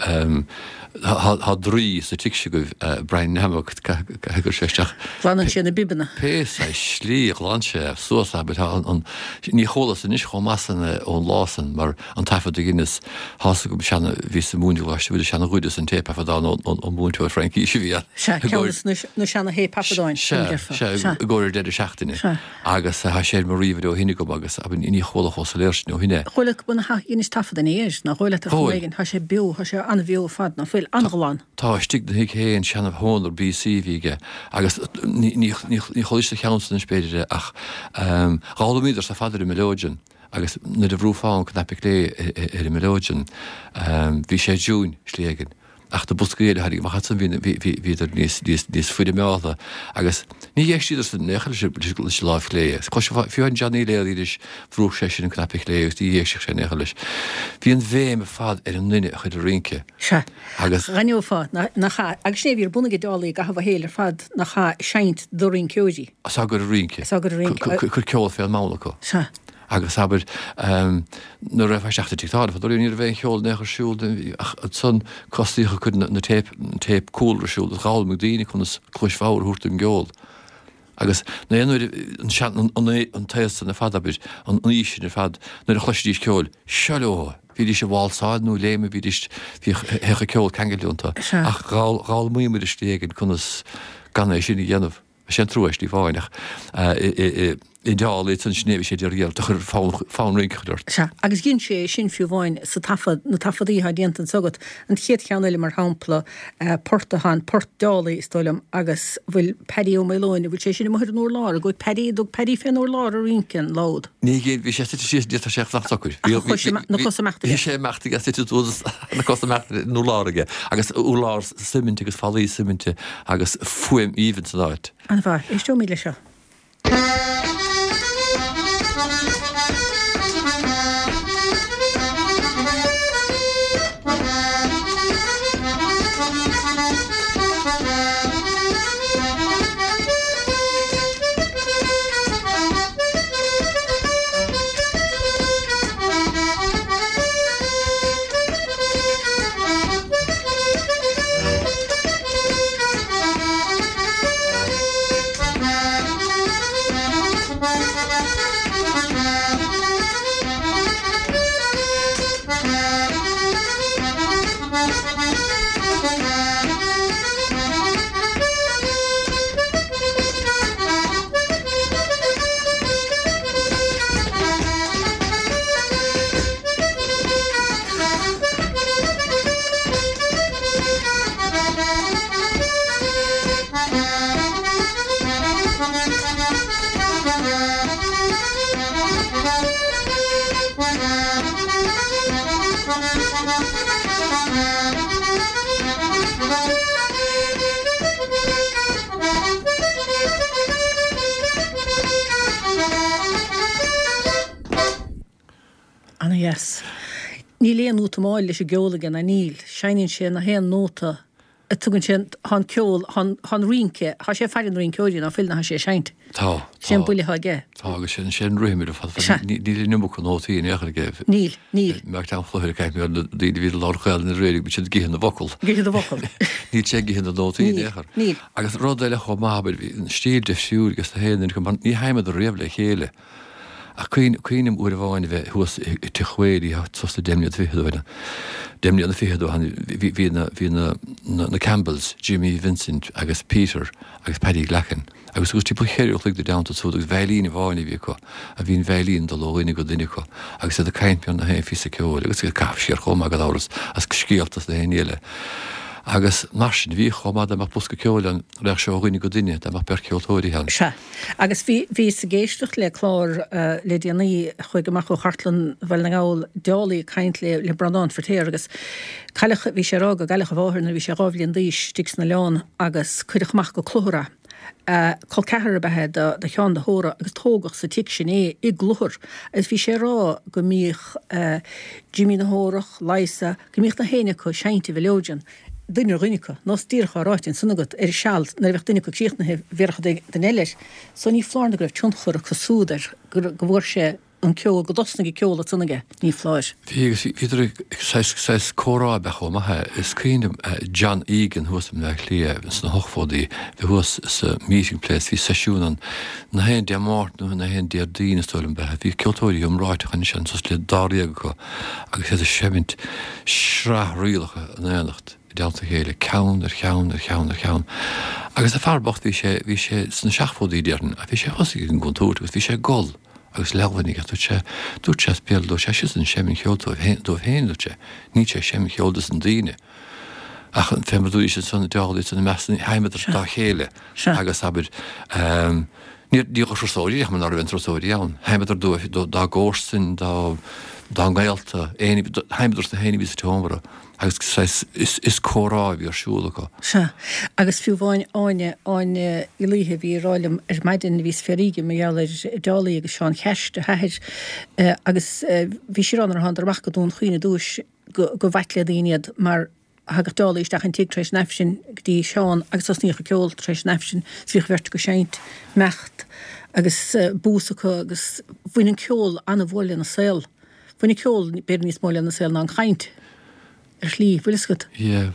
tá draoi sa tigh seo agaibh, Brian Nammock, caithfidh gur sé isteach. Glanann sé na bibeanna. Pé saghas slí a ghlan sé suas, abair, tá an, ní chualas anois chomh maith san ón lá san mar an taifead a dheineas, tá's agam seana, bhíos ag múineadh i gColáiste Mhuire, seana-ghoideas an téipthaifeadán ón mhúinteoir Fraincise a bhí ann. Sea, ceann de na seana-théipthaifeadáin. Sea, sea, i gcomhair deireadh seachtaine. Sea. Agus tá sé ar mo ríomhaire ó shin agam agus, abair, ní chuala chomh soiléir sin ó shin é. Chuala go bhfuil na dheinis taifead ina dhiaidh, nach bhfuil, ar chuma éigin, tá sé beo, tá sé an-bheo ar fad, nach bhfuil, an-ghlan. Tá istigh ina thigh féin, seana Hohner B C a bhí aige agus ní chualaís sa cheann san anois b'fhéidir é ach d'fhoghlaimíodar sa fad ar an mileoidean agus nuair a bhrúfá an cnaipe clé ar an mileoidean bhí sé i dtiúin slí éigin. Ach na boscaí eile a tháinig amach ansan bhíodar níos foirmeálta agus ní éistíodar in aon chor leis an láimh chlé. Cloisfeá fiú an Johnny Leary anois, bhrúdh seisean an cnaipe clé agus ní éistfeadh sé in aon chor leis. Bhí an bhéim ar fad ar an nduine a chuir ag rince. Sea. Agus. D'aithneofá nach ea, agus sin é a bhí ar bun ag Dálaigh i gcaitheamh a shaoil ar fad, nach ea, seinnt do rinceoirí. Is ea gur ag rince. Is ea gur ag rince. Cur ceol fén mbonn acu. Sea. Agus abair, nuair a raibh isteach sa tigh tábhairne fadó ní raibh aon cheol in aon chor ar siúl ach ansan cosnaíodh ag cur na téip, an téip cúlra ar siúl agus d'fhoghlaimigh daoine conas cluais bhodhar a thabhairt don gceol. Agus na aon uair an sean, an, an, an t-aos san ar fad, abair, an aois sin ar fad, nuair a chloisidís ceol, seo leo! Bhídís ag válsáil nó ag léimeadh, bhídís, bhíodh, théadh an ceol ceangailte iontu. Sea. Ach d'fhoghlaimíomar i slí éigin conas gan é sin a dhéanamh. Sé an trua é slí amháin ach i ndáil leis an sin é bhí sé d'iarraidh do chur fonn rince a chur ort. Sea, agus dhein sé é sin fiú amháin sa taifead, na taifeadaí atá déanta anso agat, an chéad cheann eile mar shampla, port atá ann, port Dálaigh is dóigh liom, agus bhfuil Paddy Ó Maoileoin, an bhfuil sé sin amuigh ar an urlár, an gcuaigh Paddy, dtug Paddy fén urlár ag rince an lá úd? Ní ghéill, bhí sé suite síos, ní raibh sé ach socair. Ach chuaigh sé, na cosa imeachta aige. Bhí sé imeachta aige, suite suas, na cosa imeachta ar an urlár aige, agus urlár suiminte agus fallaí suiminte agus fuaim aoibhinn san áit. An-mhaith, éisteoimid leis seo. Ana-dheas. Níl aon útamáil leis an gceol aige ná níl. Seinneann sé na haon nóta a tugann sé, tá an ceol, tá an rince, tá sé ag faire na rinceoirí ná fuil ná tá sé ag seinnt. Tá, Sé an tá. buille atá aige. Tá, agus sin, sin rithim ar fad. Sea. Níl an iomarca nótaí in aon chor aige. Níl, níl. Mar tá an chluiche ag caint mar na daoine a bhí i lár Ghaelainn na Réirí, bíonn siad ag ithe na bhfocal. Ag ithe na bhfocal. Níl sé ag ithe na nótaí in Níl, aon chor. níl. Agus rud eile chomh maith, abair, bhí an stíl difriúil agus na haon duine acu, mar ní sheinneadar riamh le chéile. Ach cuimhním uair amháin a bheith thuas i Tigh Whaley, suas le deich mbliana fichead ó shin, deich mbliana fichead ó shin, bhí na, bhí na, na, na Campbells, Jimmy, Vincent agus Peter agus Paddy Glackin, agus agus timpeall cheithre a chloig i dteannta súd agus veidhlín amháin a bhí acu, a bhí an veidhlín dul ó dhuine go duine acu, agus iad ag caint ar na haon phíosa ceoil, agus ag caitheamh siar chomh maith gan amhras as scéalta is na haon ní eile. Agus mar sin, bhí chomh maith dá mbeadh bosca ceoil ann, raghadh sé ó dhuine go duine, dá mbeadh beirt cheoltóirí ann. Sea. Agus bhí, bhíos ag éisteacht le clár le déanaí, chuaigh amach ó Chartlann Bhaile na nGall, Dálaí ag caint le, le Breandán Feirtéar agus cailleadh, bhí sé ag rá go gcailleadh a mháthair nuair a bhí sé dhá bhliain d'aois istigh san oileán agus cuireadh amach go Cluthar é. Col ceathrar ab ea é do, do Sheán de hÓra agus tógadh sa tigh sin é i gCluthar agus bhí sé ag rá go mbíodh Jimí na hÓrach, Liza, go mbíodh na héinne acu ag seinnt a mheileoidean. duine ar dhuine acu, nós díreach á ráite ansan agat, ar seal, nuair a bheadh duine acu críochnaithe, bhéarfadh duine eile air. So ní foláir nó go raibh tionchar acu súd air, go bhfuair sé an ceol, go dtosnaigh an ceol ansan aige, ní foláir. Bhí, agus bhíodar ag, saghas, saghas comhrá ab ea chomh maith é. Is cuimhin liom John Egan thuas i mBleá Cliath sna hochtóidí, bhí thuas sa Meeting Place, bhí seisiún ann na haon Dé Máirt nó na haon Déardaoin is dóigh liom ab ea. Bhí ceoltóirí iomráiteacha ansin, suas le dáréag acu, agus iad ag seimint sraith rialacha in éineacht. i dteannta a chéile, ceann ar cheann ar cheann ar cheann. Agus an fear bocht, bhí sé, bhí sé sna seachtóidí déarfainn, ach bhí sé thosaigh ag an gcontúirt agus bhí sé ag gol agus leamhnaigh ach dúirt sé, dúirt sé as béal, dúirt sé, seisean seinm cheoil dóibh féin, dóibh féin, dúirt sé, níl sé ag seinm cheoil dos na daoine. Ach fé mar dúirt ansan, dálaí san meas, sheinneadar dá chéile agus abair, ehm, ní, ní raibh turasóirí, ach mura raibh aon turasóirí ann, sheinneadar dóibh, dá gcomharsain, dá, dá ngaolta, éinne, sheinneadar sna héinne a bhí sa tseomra agus saghas, is, is comhrá a bhí ar siúl acu. Sea, agus fiú amháin Áine, Áine Uí Laoithe a bhí ag rá liom ar maidin, bhí fé ríge mar gheall ar Dálaí agus Seán Cheist, a hathair, agus bhí sí ag rá nuair a thánadar amach go Dún Chaoin ar dtúis go, go b'ait le daoine iad mar thagadh Dálaí isteach an tigh tar éis an Aifrinn go dtí Seán agus thosnaíodh an ceol tar éis an Aifrinn is bhíodh an bheirt acu ag seinnt, imeacht agus bús acu agus bhain an ceol an-mhór lena saol. Bhain an ceol b'fhéidir níos mó lena saol ná an chaint ar shlí, bhfuil fhios agat? Yeah,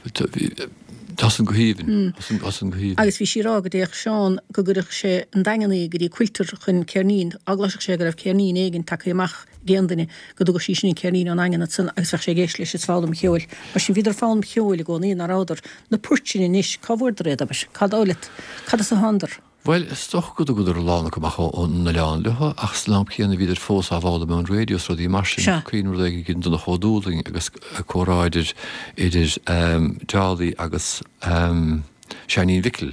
tá san go haoibhinn, tá san go haoibhinn. Agus bhí sí ag rá go dtéadh Seán go gcuireadh sé an Daingean í go dtí Quilter chun ceirnín, dá gcloisfeadh sé go raibh ceirnín éigin tagtha amach ag aon duine, go dtugadh sí sin an ceirnín ón nDaingean ansan agus bheadh sé ag éisteacht leis is foghlaim cheoil. Mar sin bhíodar ag foghlaim cheoil i gcónaí, ná rabhadar? Na poirt sin anois, cá bhfuaireadar iad, abair? Cá dóigh leat? Cad as a thánadar? Bhuel, is dócha go dtugadar a lán acu amach ón oileán leo, ach san am céanna bhíodar fós á bhfoghlaim ón raidió is rudaí mar sin. Sea. Cuimhním rud éigin ag Donncha Ó Dúlaing agus comhrá idir, idir Dálaí agus Seáinín Mhicil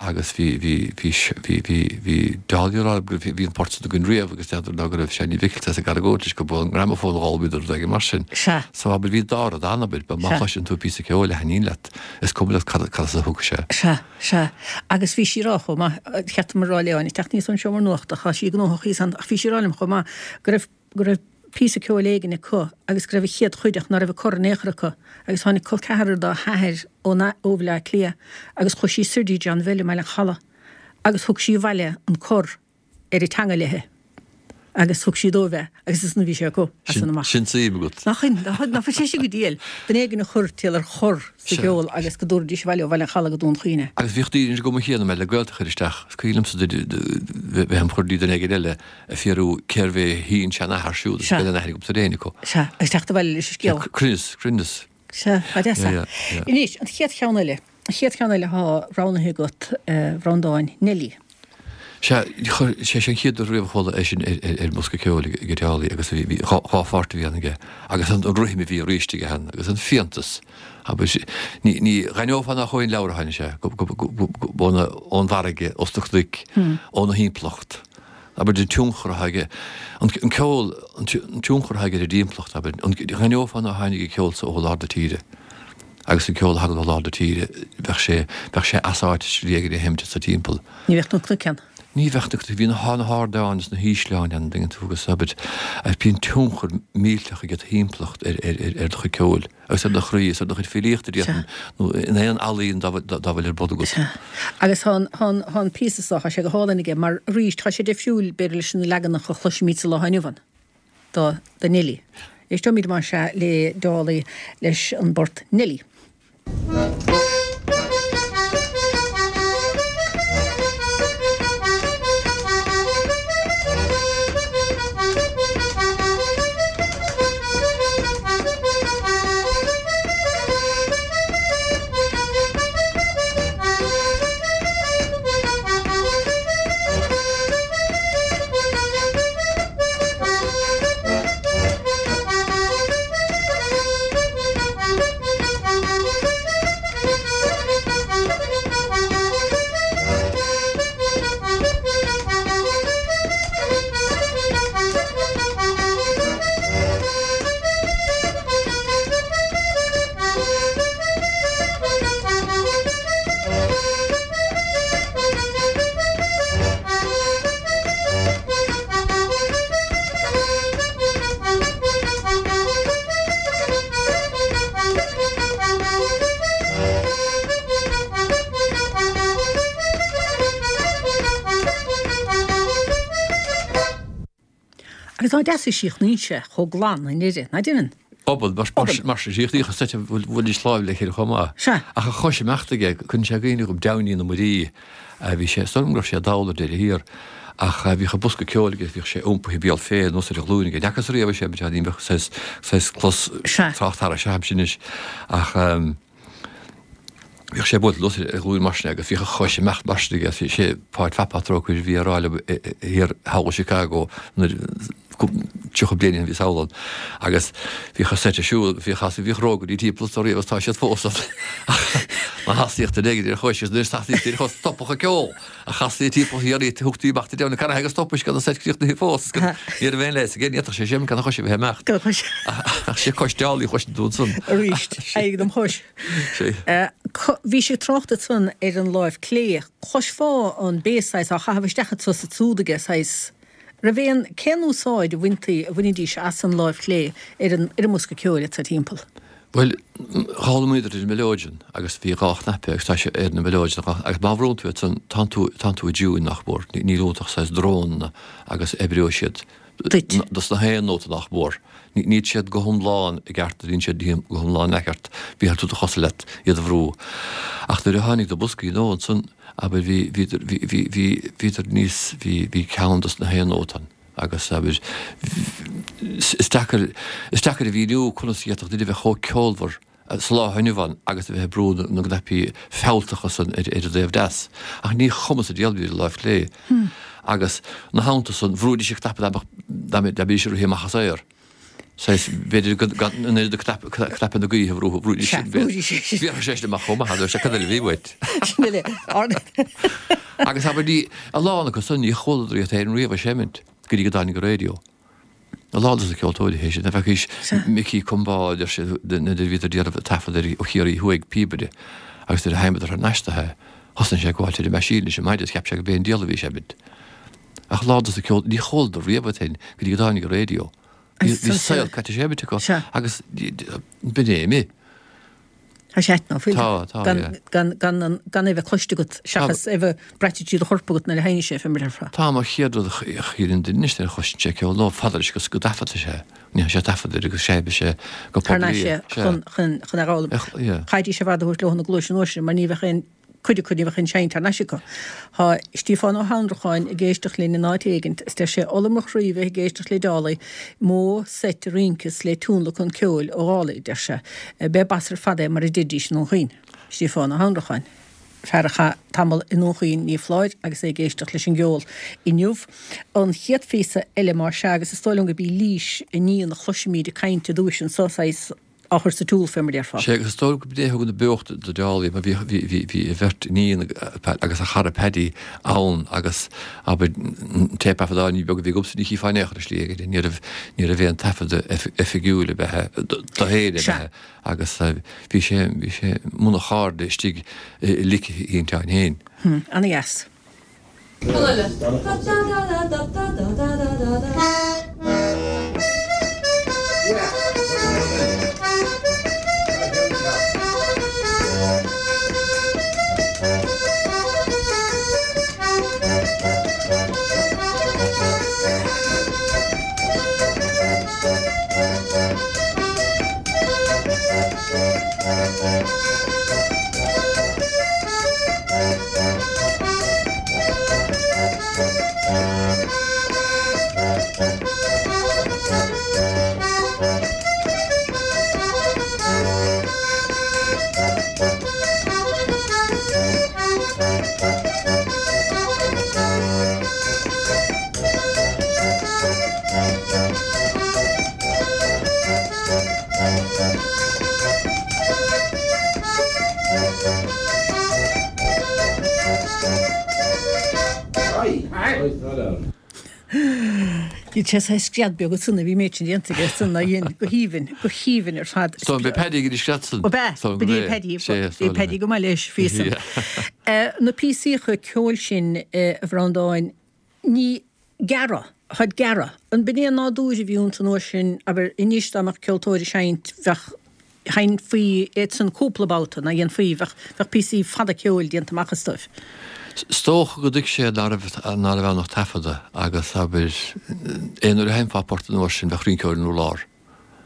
agus bhí, bhí, bhí, bhí, bhí, bhí Dálaí ag rá go raibh, bhí an port san againn riamh agus n'fheadar ná go raibh Seáinín Mhicil saghas ag argóint leis go bhfuil an gramophone dhá bhíodar rud éigin mar sin. Sea. So abair bhí dá rud ann, abair, má Sea. chloiseann tú píosa ceoil a thaitníonn leat, is cuma leat cad, cad as a thug sé. Sea. Sea, agus bhí sí ag rá chomh maith, cheart dom a rá léi, ag teacht aníos ón seomra nuachta, tá sí gnóthach thíos ann, ach bhí sí ag rá liom chomh maith go raibh, go raibh píosa ceoil éigin acu agus go raibh an chéad chuid ach ná raibh an cor in aon chor acu agus tháinig col ceathrar dá hathair ó, ó Bhaile Átha Cliath agus chuaigh sí soir dtí John Bhill i mBaile an Chalaidh agus thug sí abhaile an cor ar an teanga léi. Agus thug sí dóibh é agus ansan a bhí sé acu as san amach. Sin suim agat. Nach in, nach bhfuil sé sin go diail. Duine éigin a chuir triail ar chor sa gceol agus go dtabharfaidís abhaile ó Bhaile an Chalaidh go Dún Chaoin é. Agus bhíodh daoine ar an gcuma chéanna mé le gaolta a chur isteach. Is cuimhin liomsa bheith im chur duine éigin eile ag fiafraí cérbh é a shin-seanathair siúd agus gan aon aithne agamsa ar éinne acu. Sea, agus teacht abhaile leis an scéal. Cruinneas, cruinneas. Sea, ba deas é. Anois, an chéad cheann eile, an chéad cheann eile atá roghnaithe agat, a Bhreandáin, Neilí. Sea, chuir sé sin an chéad uair riamh a chuala é sin ar an mbosca ceoil ag Dálaí agus bhí dhá pháirt a bhí ann aige agus an rithim a bhí arís aige ann agus an fiántas Abair, ní, ní dh'aithneofá nach ón leabhar a tháinig sé, go, go, go, go, go, óna, ón bhfarraige, os na cnoic, óna thimpeallacht. Abair, an tionchar atá aige, an, an ceol, an tionchar atá aige ar an dtimpeallacht, abair, an, dh'aithneofá nár tháinig an ceol so ó lár na tíre. Agus an ceol a thagann ó lár na tíre, bheadh sé, bheadh sé as áit slí éigin a sheimint sa timpeall. Ní bheadh na cnoic ann. Ní bheadh na cnoic, bhí na, na hardáin is na hísleáin ann, an dtuigeann tú, agus abair, bíonn tionchar millteach ag do thimpeallacht ar, ar, ar, ar do chuid ceoil agus ar do chroí is ar do chuid filíochta, déarfainn, nó in aon ealaín dá, dá, dá bhfuil ar bun agat. Sea. Agus tá an, tá an, tá an píosa seo, tá sé go hálainn aige, mar arís, tá sé difriúil, b'fhéidir, leis na leaganacha a chloisimid sa lá inniu ann, do, do Neilí. Éisteoimid más ea le Dálaigh leis an bport Neilí. Agus tá deas a síochnaíonn sé chomh glan i ndeireadh, ná deineann? Obann, mar sin síochnaíodh an seit a bhfuil láimh le chéile chomh maith. Sea. Ach a chois imeachta aige, cuireann sé i gcuimhne dhom Downey na Muirí. Bhí sé, is dóigh liom go raibh sé dall ar deireadh thiar, ach bhíodh an bosca ceoil aige, bhíodh sé iompaithe béal féir anuas ar a ghlúin aige. Ní fhacas riamh é sin, ní bheadh saghas, saghas clos trácht thairis a'msa anois. Ach. Bhíodh sé buailte anuas ar a ghlúin mar sin agus bhíodh a chois ag imeacht mar sin aige. Sé Páid Phat Trócaire a bhí á rá liom thiar thall i Chicago nuair tríocha bliain ó shin bhíos thall ann agus bhíodh a seit ag siúl agus bhíodh bhíodh rógairí timpeall is riamh agus tá siad fós ann. Má thosaíodh duine éigin ar a chois agus nuair a thosaíodh ar a chois stopadh an ceol ach chastaí timpeall thiar í thugtaí amach de na carraithe agus stopadh gan an seit críochnaithe fós. Ní raibh aon leigheas aige, ní fhéadfadh sé sin gan a chois a bheith ag imeacht. Gan a chois. Ach sé cois Dálaigh a chloiseann tú ansan. Arís, éirigh dom chois. Bhí sé ag trácht ansan ar an láimh clé. Chloisfeá an bass saghas á chaitheamh isteach anso is ansúd aige, saghas. Raibh aon, cén úsáid a bhaintí, a bhainidís as an láimh chlé ar an, ar an mbosca ceoil anso timpeall? Bhuel, d'fhoghlaimíodar ar an mileoidean agus bhí dhá chnaipe agus tá sé ar na mileoidean agus má bhrúnn tú iad san, tánn tú, tánn tú i dtiúin nach mór, níl iontu ach saghas drónanna agus oibreoidh siad duit. Dos na haon nóta nach mór. Níl siad go hiomlán i gceart, níl siad go hiomlán neamhcheart, bíonn tú do chosa leat iad a bhrú. Ach nuair a tháinig na boscaí nua ansan, abair, bhí, bhíodar, bhí, bhí, bhí, bhíodar níos, bhí, bhí ceann dos na haon nóta ann agus, abair, is deacair, is deacair a mhíniú conas a d'fhéadfadh duine a bheith chomh ceolmhar sa lá inniu ann agus a bheith ag brú na gcnaipí fealltacha san ar an dtaobh deas. Ach ní chuma sa diabhal bhí ar an láimh chlé. Agus ina theannta san, bhrúidís an cnaipe dá mbeadh, dá mbeidís ag rith amach as aer. Saghas, b'fhéidir gan an oiread cnaipe na gaoithe a bhrú, bhrúidís sin, bhéarfadh sé sin amach chomh maith, sé cad eile a bhí uait. Sin eile. Agus abair ní, a lán acu san, ní chualadar iad féin riamh ag seimint go dtí go dtáinig an raidió. A lán dos na ceoltóirí théis sin, bheadh Micí Combáid ar siad nuair a bhíodar ag déanamh taifead ar Ó Chiarraí Thuaidh píobaire agus nuair a sheinneadar thar n-ais do é, thosnaigh sé ag gabháil tríd an meaisín leis an maide is cheap sé go b'é an diabhal a bhí ag seimint. Ach a lán dos na ceol, ní chualadar riamh iad féin go dtí go dtáinig an raidió. Bhí saol caite seiminte acu agus b'in é imithe. Tá sé ait ná fuil? Tá, tá, yeah. Gan, gan, gan, gan é bheith cloiste agat seachas é bheith braite trí do chorp agat nuair a sheinneann sé, fé mar a déarfá. Tá, mar chéad rud a chíonn duine anois nuair a chloiseann sé ceol ná fada leis go dtaifeadfaidh sé. Ní sé taifead air agus seinnfidh sé go Thar poiblí. n-ais é chun, chun, chun é a fhoghlaim. Yeah. Chaithfidís ar fad a thabhairt leo na gluais an uair sin mar ní bheadh aon cuid acu ní bheadh aon seinnt thar n-ais acu. Tá Stíofán Ó hAnnracháin ag éisteacht linn in áit éigint is deir sé ola mo chroí bheith ag éisteacht le Dálaigh, mó seit a rinceas le tionlacan ceoil ó Dhálaigh, deir sé. B'é bas ar fad é mar a deiridís i nDún Chaoin. Stíofán Ó hAnnracháin, fear a chaith tamall i nDún Chaoin, ní foláir, agus é ag éisteacht leis an gceol inniu. An chéad phíosa eile más ea, agus is dóigh liom gurb í Lís, iníon a chloisfimid ag caint i dtúis anso, saghas, á chur sa tsiúl fé mar déarfá. Sé agus is dóigh go b'é a thug an beocht do Dálaigh mar bhí bhí bhí bhí a bheirt iníon agus a chara Paddy ann agus abair an téipthaifeadán ní beag a bhí agamsa ní chífeá in aon chor ar shlí aige ní raibh ní raibh aon taifead oifigiúil a bheith do féin a bheith agus bhí sé bhí sé mbun a chairde istigh i lic a shínteáin féin. Ana-dheas. Bhí sé saghas scread beag ansan a bhí méid sin déanta aige san a dhein go haoibhinn, go haoibhinn ar fad. So bhí Paddy ag an scread san. Ó b'ea, bhí Paddy, bhí Paddy go maith leis faoi san. Na píosaíocha ceoil sin a Bhreandáin, ní gearra, táid gearra. An b'in é an nádúr a bhí iontu an uair sin, abair, anois dá mbeadh ceoltóir ag seinnt bheadh sheinnfí iad san cúpla babhta, ná dhéanfaí, bheadh, bheadh píosaí fada ceoil déanta amach astu. Is dócha go dtuig sé ná raibh, ná raibh ann ach taifeadadh agus, abair, aon uair a sheinnfeá port an uair sin bheadh rinceoir an urlár.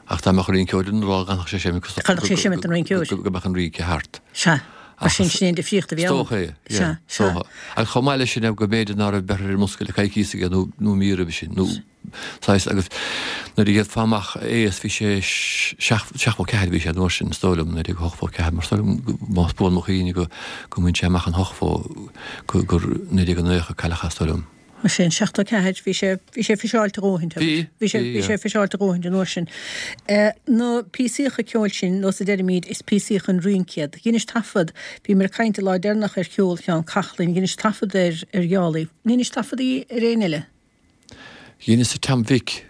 Ach dá mbeadh rinceoir an urlár dhanfadh sé seimint go, Dhanfadh sé seimint an rinceoir. go mbeadh an rince thart. Sea. Mar sin, sin é an difríocht a bhí ann. Is dócha é, yeah. Sea, sea. Agus chomh maith leis sin, go mb'fhéidir ná raibh beirthe ar an mbusca le coicíos aige nó, nó mí roimhe sin, nó saghas, agus nuair a gheofá amach é is bhí sé seachtó ceathair a bhí sé an uair sin, is dóigh liom, naoi déag ochtó ceathair, mar is dóigh liom, más buan mo chuimhne go, go mbain sé amach an hochtó, go, gur naoi déag naocha a cailleadh é, is dóigh liom. Mar sin, seachtó ceathair, bhí sé, bhí sé fiseáilte a dhóthain, Bhí, bhí sé, bhí, bhí sé fiseáilte a dhóthain an uair sin. Na píosaíocha ceoil sin, nós a deirimid, is píosaíocha an rince iad. Dheinis taifead, bhíomar ag caint an lá deireanach ar cheol Sheáin Cochlain, dheinis taifead ar, ar Dhálaigh. Dheinis taifeadaí ar éinne eile? Dheineas ar Tom Mhic.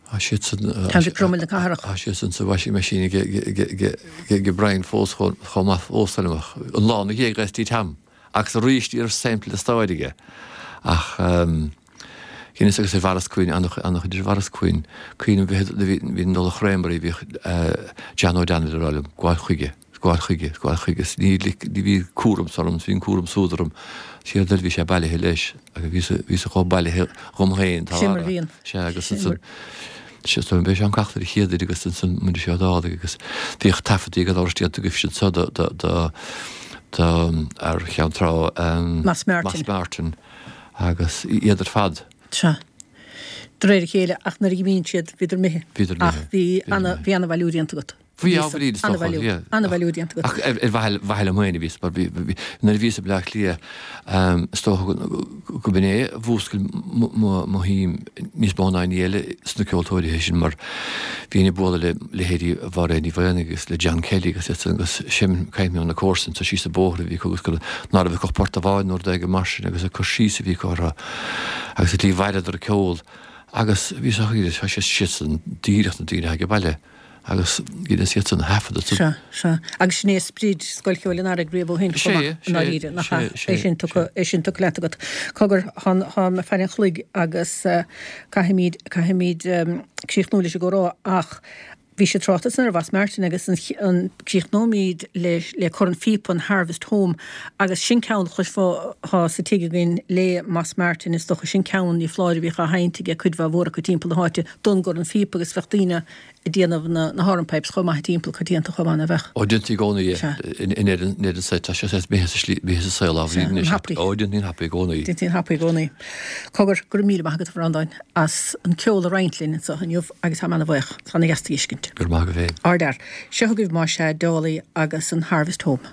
Tá siad san, Tom Mhic Crumail na Cathrach. Tá siad san sa washing machine ag, ag, ag, ag, ag Brian fós chomh, chomh maith fós, an lá ina dhiaidh ghaistí Tom. Agus arís ní raibh sampla stáid aige. Ach dheineas agus ar Mhaurice Quinn, an-chuid ar Mhaurice Quinn, cuimhním bhí bhí Nollaig Chréamairí, bhíodh John O'Donnell ag rá liom, gabháil chuige, gabháil chuige, gabháil chuige, is ní ní bhí cúram orm, is bhí an cúram súd orm, séard eile bhí sé bailithe leis agus bhí sa bhí sa chomh bailithe dhom féin, tá Sin mar a bhíonn. Sea, agus ansan, sea, so b'é Seán Cochlain a chéad agus ansan muid seo Dálaigh agus bhíodh taifeadtaí gan amhras déanta agaibhse anso do do do do ar Cheann Trá, Moss Martin. Moss Martin agus iad ar fad. Sea. De réir a chéile, ach nuair a dh'imíonn siad, bhíodar imithe. Bhíodar imithe. Ach bhí ana, bhí ana-bhailiú déanta agat. Bhí ábhairín is dócha, yeah. Ana-bhailiú déanta agat. Ach ar ar mhaithe liom féin a bhíos, mar bhí, bhí, nuair a bhíos i mBleá Cliath, is dócha go, go b'in é a mhúscail mo, mo, mo shuim níos mó ná aon ní eile sna ceoltóirí sin mar bhínn ag bualadh le leithéidí Mháiréad Ní Mhaonaigh agus le John Kelly agus iad san agus seinm caint na comharsan so síos an bóthar a bhí acu agus gur ná raibh acu ach port amháin nó rud éigin mar sin agus ag cur síos a bhí acu orthu agus an tslí a bhfaireadar an ceol agus bhí sé tá sé siad san díreach na daoine age baile agus dheineas iad san a thaifeadadh san. Sea, sea. Agus sin é sprid Scoil Cheoil an Earraigh riamh ó shin chomh maith, i ndáiríre, nach ea? Sé, sé, É sin tugtha, é sin tugtha leat agat. Cogar, tá, tá mé faire an chloig agus caithfimid, caithfimid críochnú leis an gcomhrá ach bhí sé trácht ansan ar Mhoss Martin agus an, an críochnóimid le, le Cor an Phíopa, an Harvest Home agus sin ceann a chloisfeá sa tigh againn le Moss Martin is dócha, sin ceann ní foláir a bhíodh á sheinnt ag cuid mhaith mhór acu timpeall na háite don gCorn Phíopa agus bheadh daoine ag déanamh na na horn pipes chomh maith timpeall coitianta chomh maith, ná bheadh? Ó, déantaí i gcónaí é. In Éirinn, in Éirinn sa, tá sé saghas imithe sa slí, imithe sa saol Sea, ábhairín an anois. thapaidh. Ó, déantaí an thapaidh i gcónaí. Déantaí an thapaidh i gcónaí. Cogar, go raibh míle maith agat, a Bhreandáin, as an ceol a roinnt linn anseo inniu agus táim ana-bhuíoch. Tá ana-dheas tú a fheiscint. Go raibh maith agat féin. Ardfhear. Seo chugaibh más ea, Dálaigh agus an Harvest Home.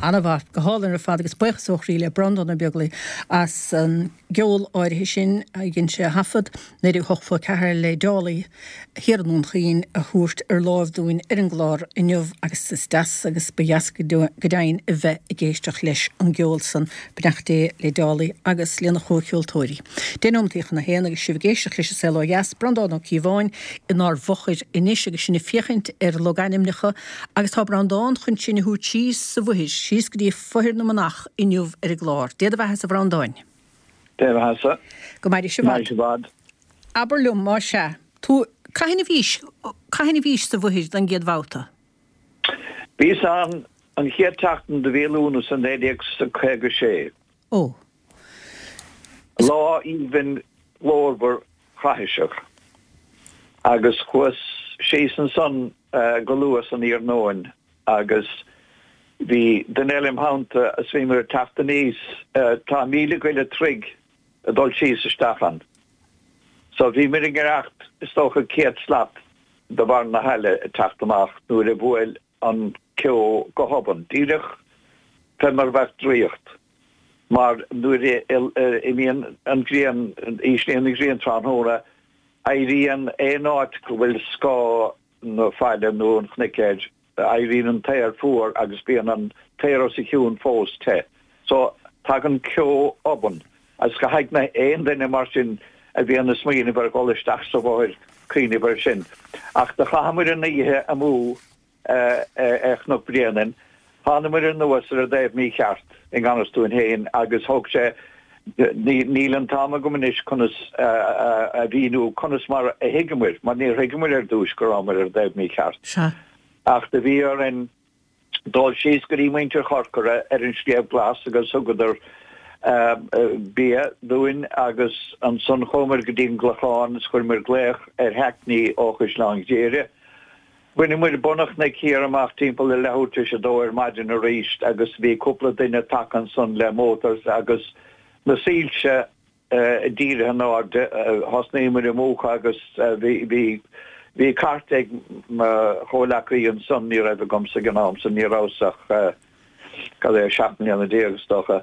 Ana-mhaith, go hálainn ar fad agus buíochas ó chroí le Breandán Ó Beaglaoich as an gceol áirithe sin a dhein sé a thaifead naoi déag ochtó a ceathair le Dálaigh Thiar i nDún Chaoin a thabhairt ar láimh dúinn ar an gclár inniu agus is deas agus ba dheas go deimhin a bheith ag éisteacht leis an gceol san. Beannacht Dé le Dálaigh agus lena chomhcheoltóirí. Deich nóimeataí chun a haon agus sibh ag éisteacht leis An Saol Ó Dheas, Breandán Ó Cíobháin inár bhfochair anois agus sinn ag féachaint ar logainmneacha agus tá Breandán chun sinn a thabhairt síos sa bhFoithair, síos go dtí Fothair na Manach inniu ar an gclár. Dé do bheatha-sa a Bhreandáin. Dé do bheatha-sa. Go maire sibh fad. Maire fad. Abair liom, más ea, tú, cathain a bhís, cathain a bhís sa bhFoithair don gcéad bhabhta? Bhíos ann an chéad tseachtain de mhí Lúnasa naoi déag caoga sé. Ó. Lá aoibhinn glórmhar caithiseach. Agus chuas síos ansan go luath san iarnóin agus bhí duine eile im theannta is bhíomar ag teacht aníos, tá míle go leith troigh ag dul síos isteach ann. So bhíomar i ngiorracht is dócha céad slat de bharr na haille ag teacht amach nuair a bhuail an ceo go hobann, díreach fé mar a bheadh draíocht. Mar nuair a imíonn an ghrian, íslíonn an ghrian tráthnóna, éiríonn aon áit go bhfuil scáth na faille nó an chnoic air, éiríonn an t-aer fuar agus bíonn an t-aer os a chionn fós te. So, tagann ceo obann agus caithfidh aon duine mar sin a bhíonn ag smaoineamh ar dhul isteach sa bhFothair cuimhneamh air sin. Ach do chaitheamair an oíche amú ar Chnoc Bréanainn. Thánamair anuas ar an dtaobh mícheart i ngan fhios dúinn féin agus thóg sé, níl an t-am agam anois conas a mhíniú conas mar a thuigeamair, mar níor thuigeamair ar dtúis go rabhamair ar an dtaobh mícheart. Sea. Ach do bhí orainn dul síos go dtí muintir Chorcora ar an Sliabh Glas agus thugadar bia dúinn agus ansan chuamair go dtí an gClochán is chuireamair glaoch ar Hackney ó Chaisleán Ghriaire. Bhaineamair bun an chnoic thiar amach timpeall ar leathuair tar éis a dó ar maidin arís agus bhí cúpla duine tagtha ansan le motors agus na soilse dírithe in airde. Thosnaíomair ag múchadh agus bhí bhí cairt ag mo chomhleacaí ansan, ní raibh agamsa ag an am san, ní rabhas ach cad é, seacht mbliana déag is dócha.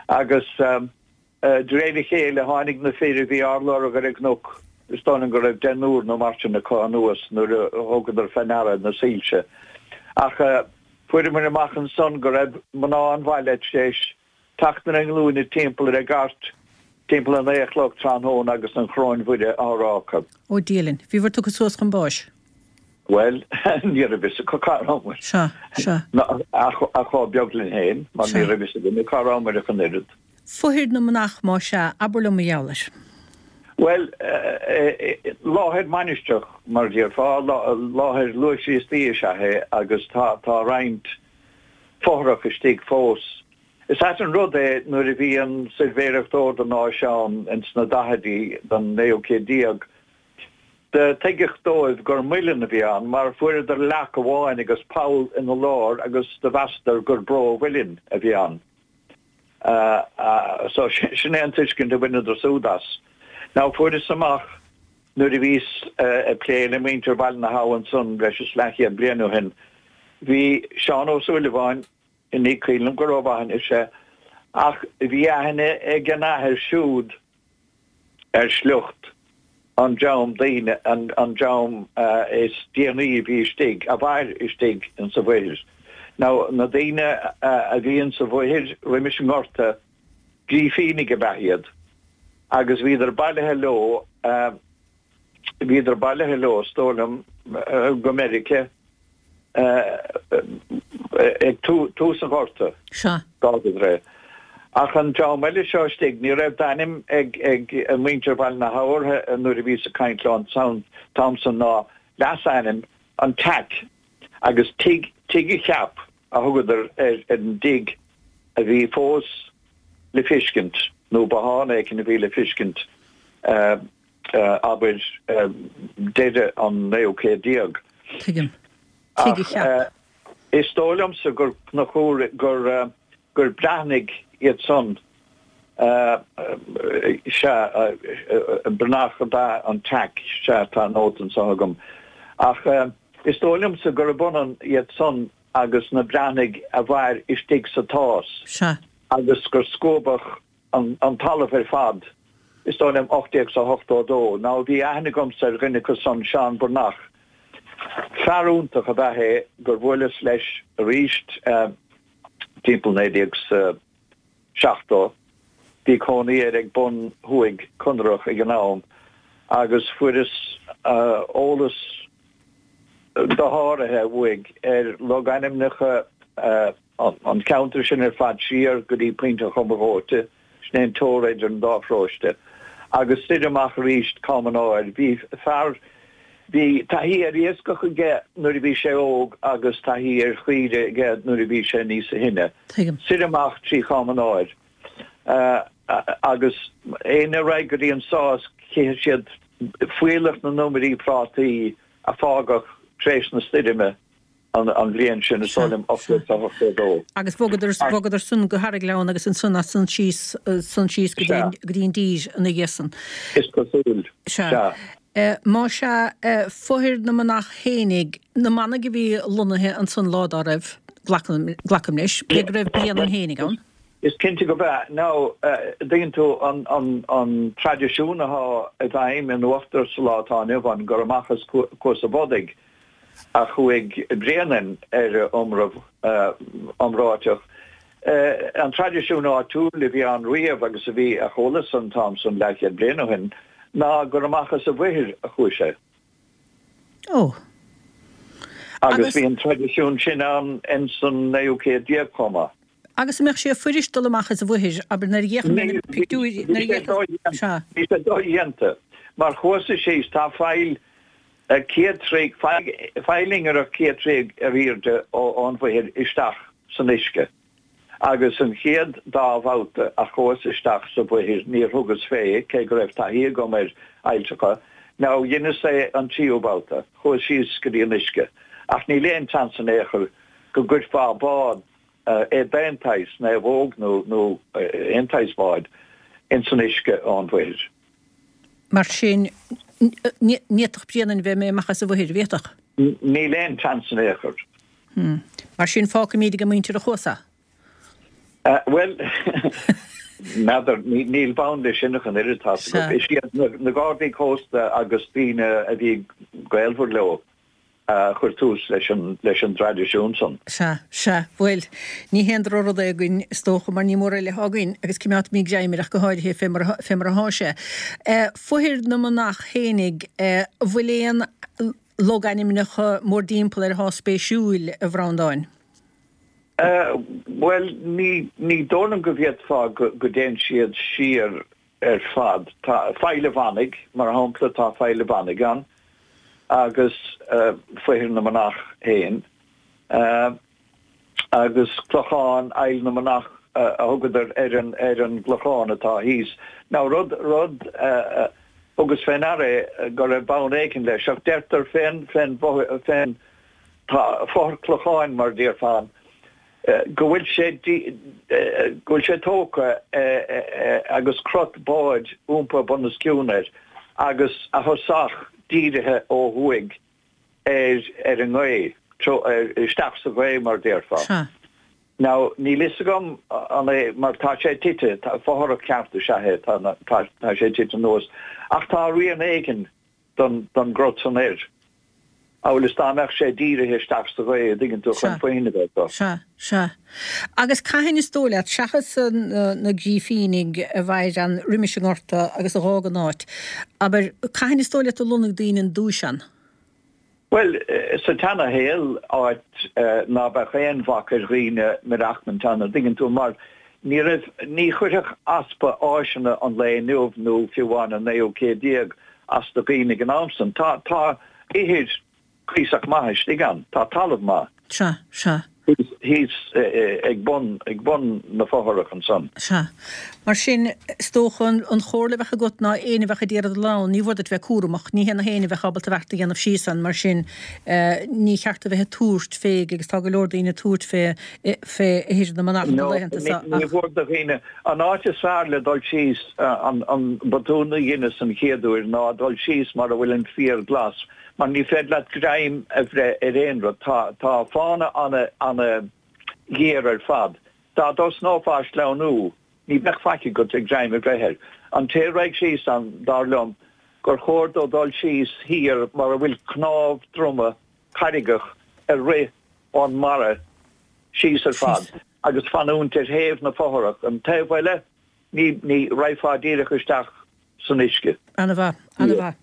Agus de réir a chéile tháinig na fir a bhí ár lorg ar an gcnoc, is dóigh liom go raibh deichniúr nó mar sin acu anuas nuair a thugadar fé ndeara na soilse. Ach fuaireamar amach ansan go raibh mná an bhaile tar éis teacht ar a nglúine timpeall ar an gcairt timpeall a naoi a chlog tráthnóna agus an Choróin Mhuire á rá acu. Ó Dia linn, bhíobhair tugtha suas chun báis. Bhuel, ní raibh fhios acu cá rabhamar. Sea, sea. Ach chomh beag linn féin, mar ní raibh fhios againne cá rabhamar ach an oiread. Fothair na Manach, más ea, abair liom mar gheall air. Bhuel, láthair mainistreach, mar a déarfá, láthair luath-Chríostaí is ea é agus tá roinnt fothrach istigh fós. Is ait an rud é nuair a bhí an tSuirbhéireacht Ordanáis ann ins na daichidí den naoú céad déag, do tuigeadh dóibh gur muileann a bhí ann mar fuaireadar leac amháin agus poll ina lár agus do mheasadar gur bró mhuilinn a bhí ann. So sin é an tuiscint a bhaineadar súd as. Now fuaireas amach nuair a bhíos ag plé le muintir Bhaile na hAbha ansan breis is leathchéad bliain ó shin, bhí Seán Ó Súilleabháin, Ní cuimhin liom go rómhaith anois é, ach bhí aithne ag an athair siúd ar shliocht an dream daoine, an dream is déanaí a bhí istigh, a mhair istigh insa bhFothair. Now, na daoine a bhí insa bhFothair roimis an nGorta, Grífínigh ab ea iad agus bhíodar bailithe leo, bhíodar bailithe leo, is dóigh liom, go Meiriceá. ag tús an Ghorta. Sea. D'fhágadar é. Ach an dream eile seo istigh, ní raibh d'ainm ag muintir Bhaile na hAbha orthu nuair a bhíos ag caint leo an t-am san ná leasainm an Teac agus Tigh Tigh a Cheap a thugadar ar an dtigh a bhí fós le feiscint, nó bothán éicint a bhí le feiscint, abair, deireadh an naoú céad déag. Tuigim. Tigh a Cheap. Is dóigh liomsa gur Conchúr, gur, gur Breathnaigh iad san, sea, Breathnach ab ea an Teac, sea, tá nóta anseo agam. Ach is dóigh liomsa gurb ionann iad san agus na Breathnaigh a mhair istigh sa tSás. Sea. Agus gur scuabadh an, an talamh ar fad, is dóigh liom ocht déag 's a hochtó a dó. Now bhí aithne agamsa ar dhuine acu san, Seán Breathnach. Fear iontach ab ea é gur bhuaileas leis arís timpeall naoi déag 's a seachtó. Bhí cónaí air ag bun Thuaidh Conrach ag an am agus fuaireas eolas dosháraithe uaidh ar logainmneacha an cheantair sin ar fad siar go dtí Pointe an Choma Dhóite, sin é an teora idir an dá pharóiste, agus soir amach arís Cam an Áir. Bhí fear, bhí taithí ar iascach aige nuair a bhí sé óg agus taithí ar chaoire aige nuair a bhí sé níosa shine. Tuigim. Soir amach trí Cham an Áir agus éinne a raghaidh go dtí an Sás chífidh siad fuílleach na n-iomairí prátaí a fágadh tar éis na stoirme an bhliain sin, is dóigh liom ocht déag ochtó a dó. Agus bhogadar, bhogadar san go hAraghleann agus ansan as san síos, san síos go dtí, go dtí an dtír ina dhiaidh san. Is cosúil. Sea. Sea. Má sea, Fothair na Manach fhéinig, na manaigh a bhí lonnaithe ansan lá dá raibh, glacaim, glacaim leis, cé go raibh Bréanainn fhéinig ann. Is cinnte go b'ea. Now, dtuigeann tú, an, an, an traidisiún athá i bhfeidhm in Uachtar sa lá atá inniu ann, gur amach as Cuas a' Bhodaigh a chuaigh Bréanainn ar a iomramh iomráiteach. An traidisiún áitiúil a bhí ann riamh agus a bhí, a chualas an t-am san leathchéad bliain ó shin, ná gur amach as an Mhaoithir a chuaigh sé. Ó. Agus bhí an traidisiún sin ann ins an naoú céad déag chomh maith. Agus an mbeadh sé fuirist dul amach as an Mhaoithir, abair, nuair a d'fhéach mé na pictiúirí, nuair a d'fhéach, sea. Bhí sé dodhéanta. Mar chuas-sa síos, tá faill céad troigh, faill ingearach céad troigh ar airde ón Mhaoithir isteach san uisce. Agus an chéad dá bhabhta a chuas isteach sa Mhaoithir níor thugas fé, cé go raibh taithí agam ar fhailltreacha. Now dheineas é an tríú babhta, chuas síos go dtí an uisce. Ach níl aon tseans in aon chor go gcuirfeá bád, é d'aon tsaghas, naomhóg nó nó aon tsaghas báid, ins an uisce ón Mhaoithir. Mar sin, ní fhéadfadh Bréanainn bheith imithe amach as an Mhaoithir, an bhféadfadh? Níl aon tseans in aon chor. Mar sin, fágfaimid ag an muintir a chuas é. Bhuel, n'fheadar, níl bonn leis sin ach an oiread, tá's agat. Is iad na Gardaí Cósta agus daoine a bhí gaolmhar leo a chuir tús leis an leis an dtraidisiún san. Sea, sea. Bhuel, ní haon drochrud é againn, is dócha, mar ní mórán eile atá againn, agus coimeádfaimid greim air ach go háirithe fé mar fé mar atá sé. Fothair na Manach fhéinig, an bhfuil aon logainmneacha mórdtimpeall air atá spéisiúil, a Bhreandáin? Bhuel, ní ní dóigh liom go bhféadfá go go dtéann siad siar ar fad. Tá Faill an Mhanaigh, mar shampla, tá Faill an Mhanaigh ann agus Fothair na Manach féin agus Clochán Aill na Manach a thugadar ar an ar an gclochán atá thíos. Now rud rud thugas fé ndeara é go raibh bonn éigin leis ach deirtear fén fén fén tá fothrach clocháin mar déarfá ann go bhfuil sé go bhfuil sé tógtha agus crot báid iompaithe bunoscionn air agus a thosach dírithe ó thuaidh ar ar an ngaoth, isteach sa ghaoth mar déarfá. Sea. Now níl fhios agam an é mar tá sé tite, tá fothrach ceart is ea é, tá tá sé tite anuas ach tá rian éigin don don gcrot san air. Amhail is dá mbeadh sé dírithe isteach sa ghaoth, an dtuigeann tú, chun Sea. foighne a bheith acu. Sea, sea. Agus cathain is dóigh leat, seachas na Grífínigh a mhair ann roimis an nGorta agus a dh'fhág an áit, abair, cathain is dóigh leat a lonnaigh daoine ar dtúis ann? Bhuel, sa tseana-shaol, áit ná beadh aon bhac ar dhaoine maireachtaint ann, an dtuigeann tú, mar ní raibh, ní chuirfeadh easpa áiseanna an lae inniu nó fiú amháin an naoú céad déag as do dhaoine ag an am san. Tá, tá ithir cuíosach maith istigh ann, tá talamh maith. Sea, sea. Thíos ag bun, ag bun na fothrach ansan. Sea. Mar sin, is dócha an chomhairle a bheadh agat ná éinne a bheadh ag iarraidh dul ann, ní mhór duit bheith cúramach, ní hé na héinne a bheadh ábalta beart a dhéanamh síos ann, mar sin, ní cheart a bheith ag tabhairt fé, agus tá go leor daoine ag tabhairt fé, fé ithir na manach na laethanta seo ach. Ní mhór do dhaoine, an áit is fearr le dul síos, an, an botún a dheineas an chéad uair ná dul síos mar a bhfuil an féar glas, mar ní féidir leat greim a bhreith ar aon rud. Tá, tá fána ana, ana ghéar ar fad. Dá dtosnófá ag sleamhnú, ní bheadh faic agat le greim a bhreith air. An té a raghaidh síos ann, dar liom, gur chóir dó dul síos thiar mar a bhfuil cnámh droma carraigeach ag rith ón mbarra síos ar fad agus fanúint ar thaobh na fothrach. An taobh eile, ní, ní, raghfá díreach isteach san uisce. Ana-mhaith, ana-mhaith.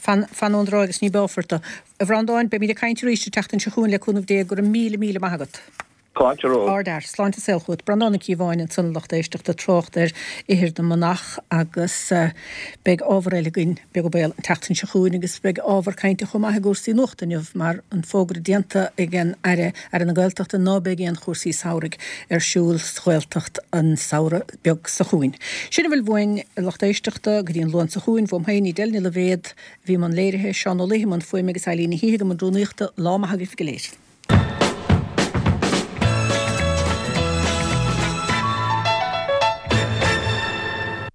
Fan, fan ón dtráigh agus ní báfar tú. A Bhreandáin, beimid ag caint arís an tseachtain seo chugainn le cúnamh Dé. Go raibh míle, míle maith agat. Fáilte romhat. Ardfhear. Sláinte is saol chugat. Breandán Ó Cíobháin ansan a lucht éisteachta ag trácht ar ithir na manach agus beidh ábhar eile againn, beag an baol, an tseachtain seo chugainn agus beidh ábhar cainte chomh maith i gcúrsaí nuachta inniu mar an fógra déanta ag an Aire, Aire na Gaeltachta, ná beidh aon chúrsaí samhraidh ar siúl sa Ghaeltacht an samhradh beag seo chugainn. Sin a bhfuil uainn, a lucht éisteachta, go dtí an Luan seo chugainn. Uaim féin, Edel Ní Loibhéad, a bhí i mbun léirithe, Seán Ó Laoithe i mbun fuaime agus Eileen Ní Shíthigh i mbun rúnaíochta. Lá maith agaibh go léir.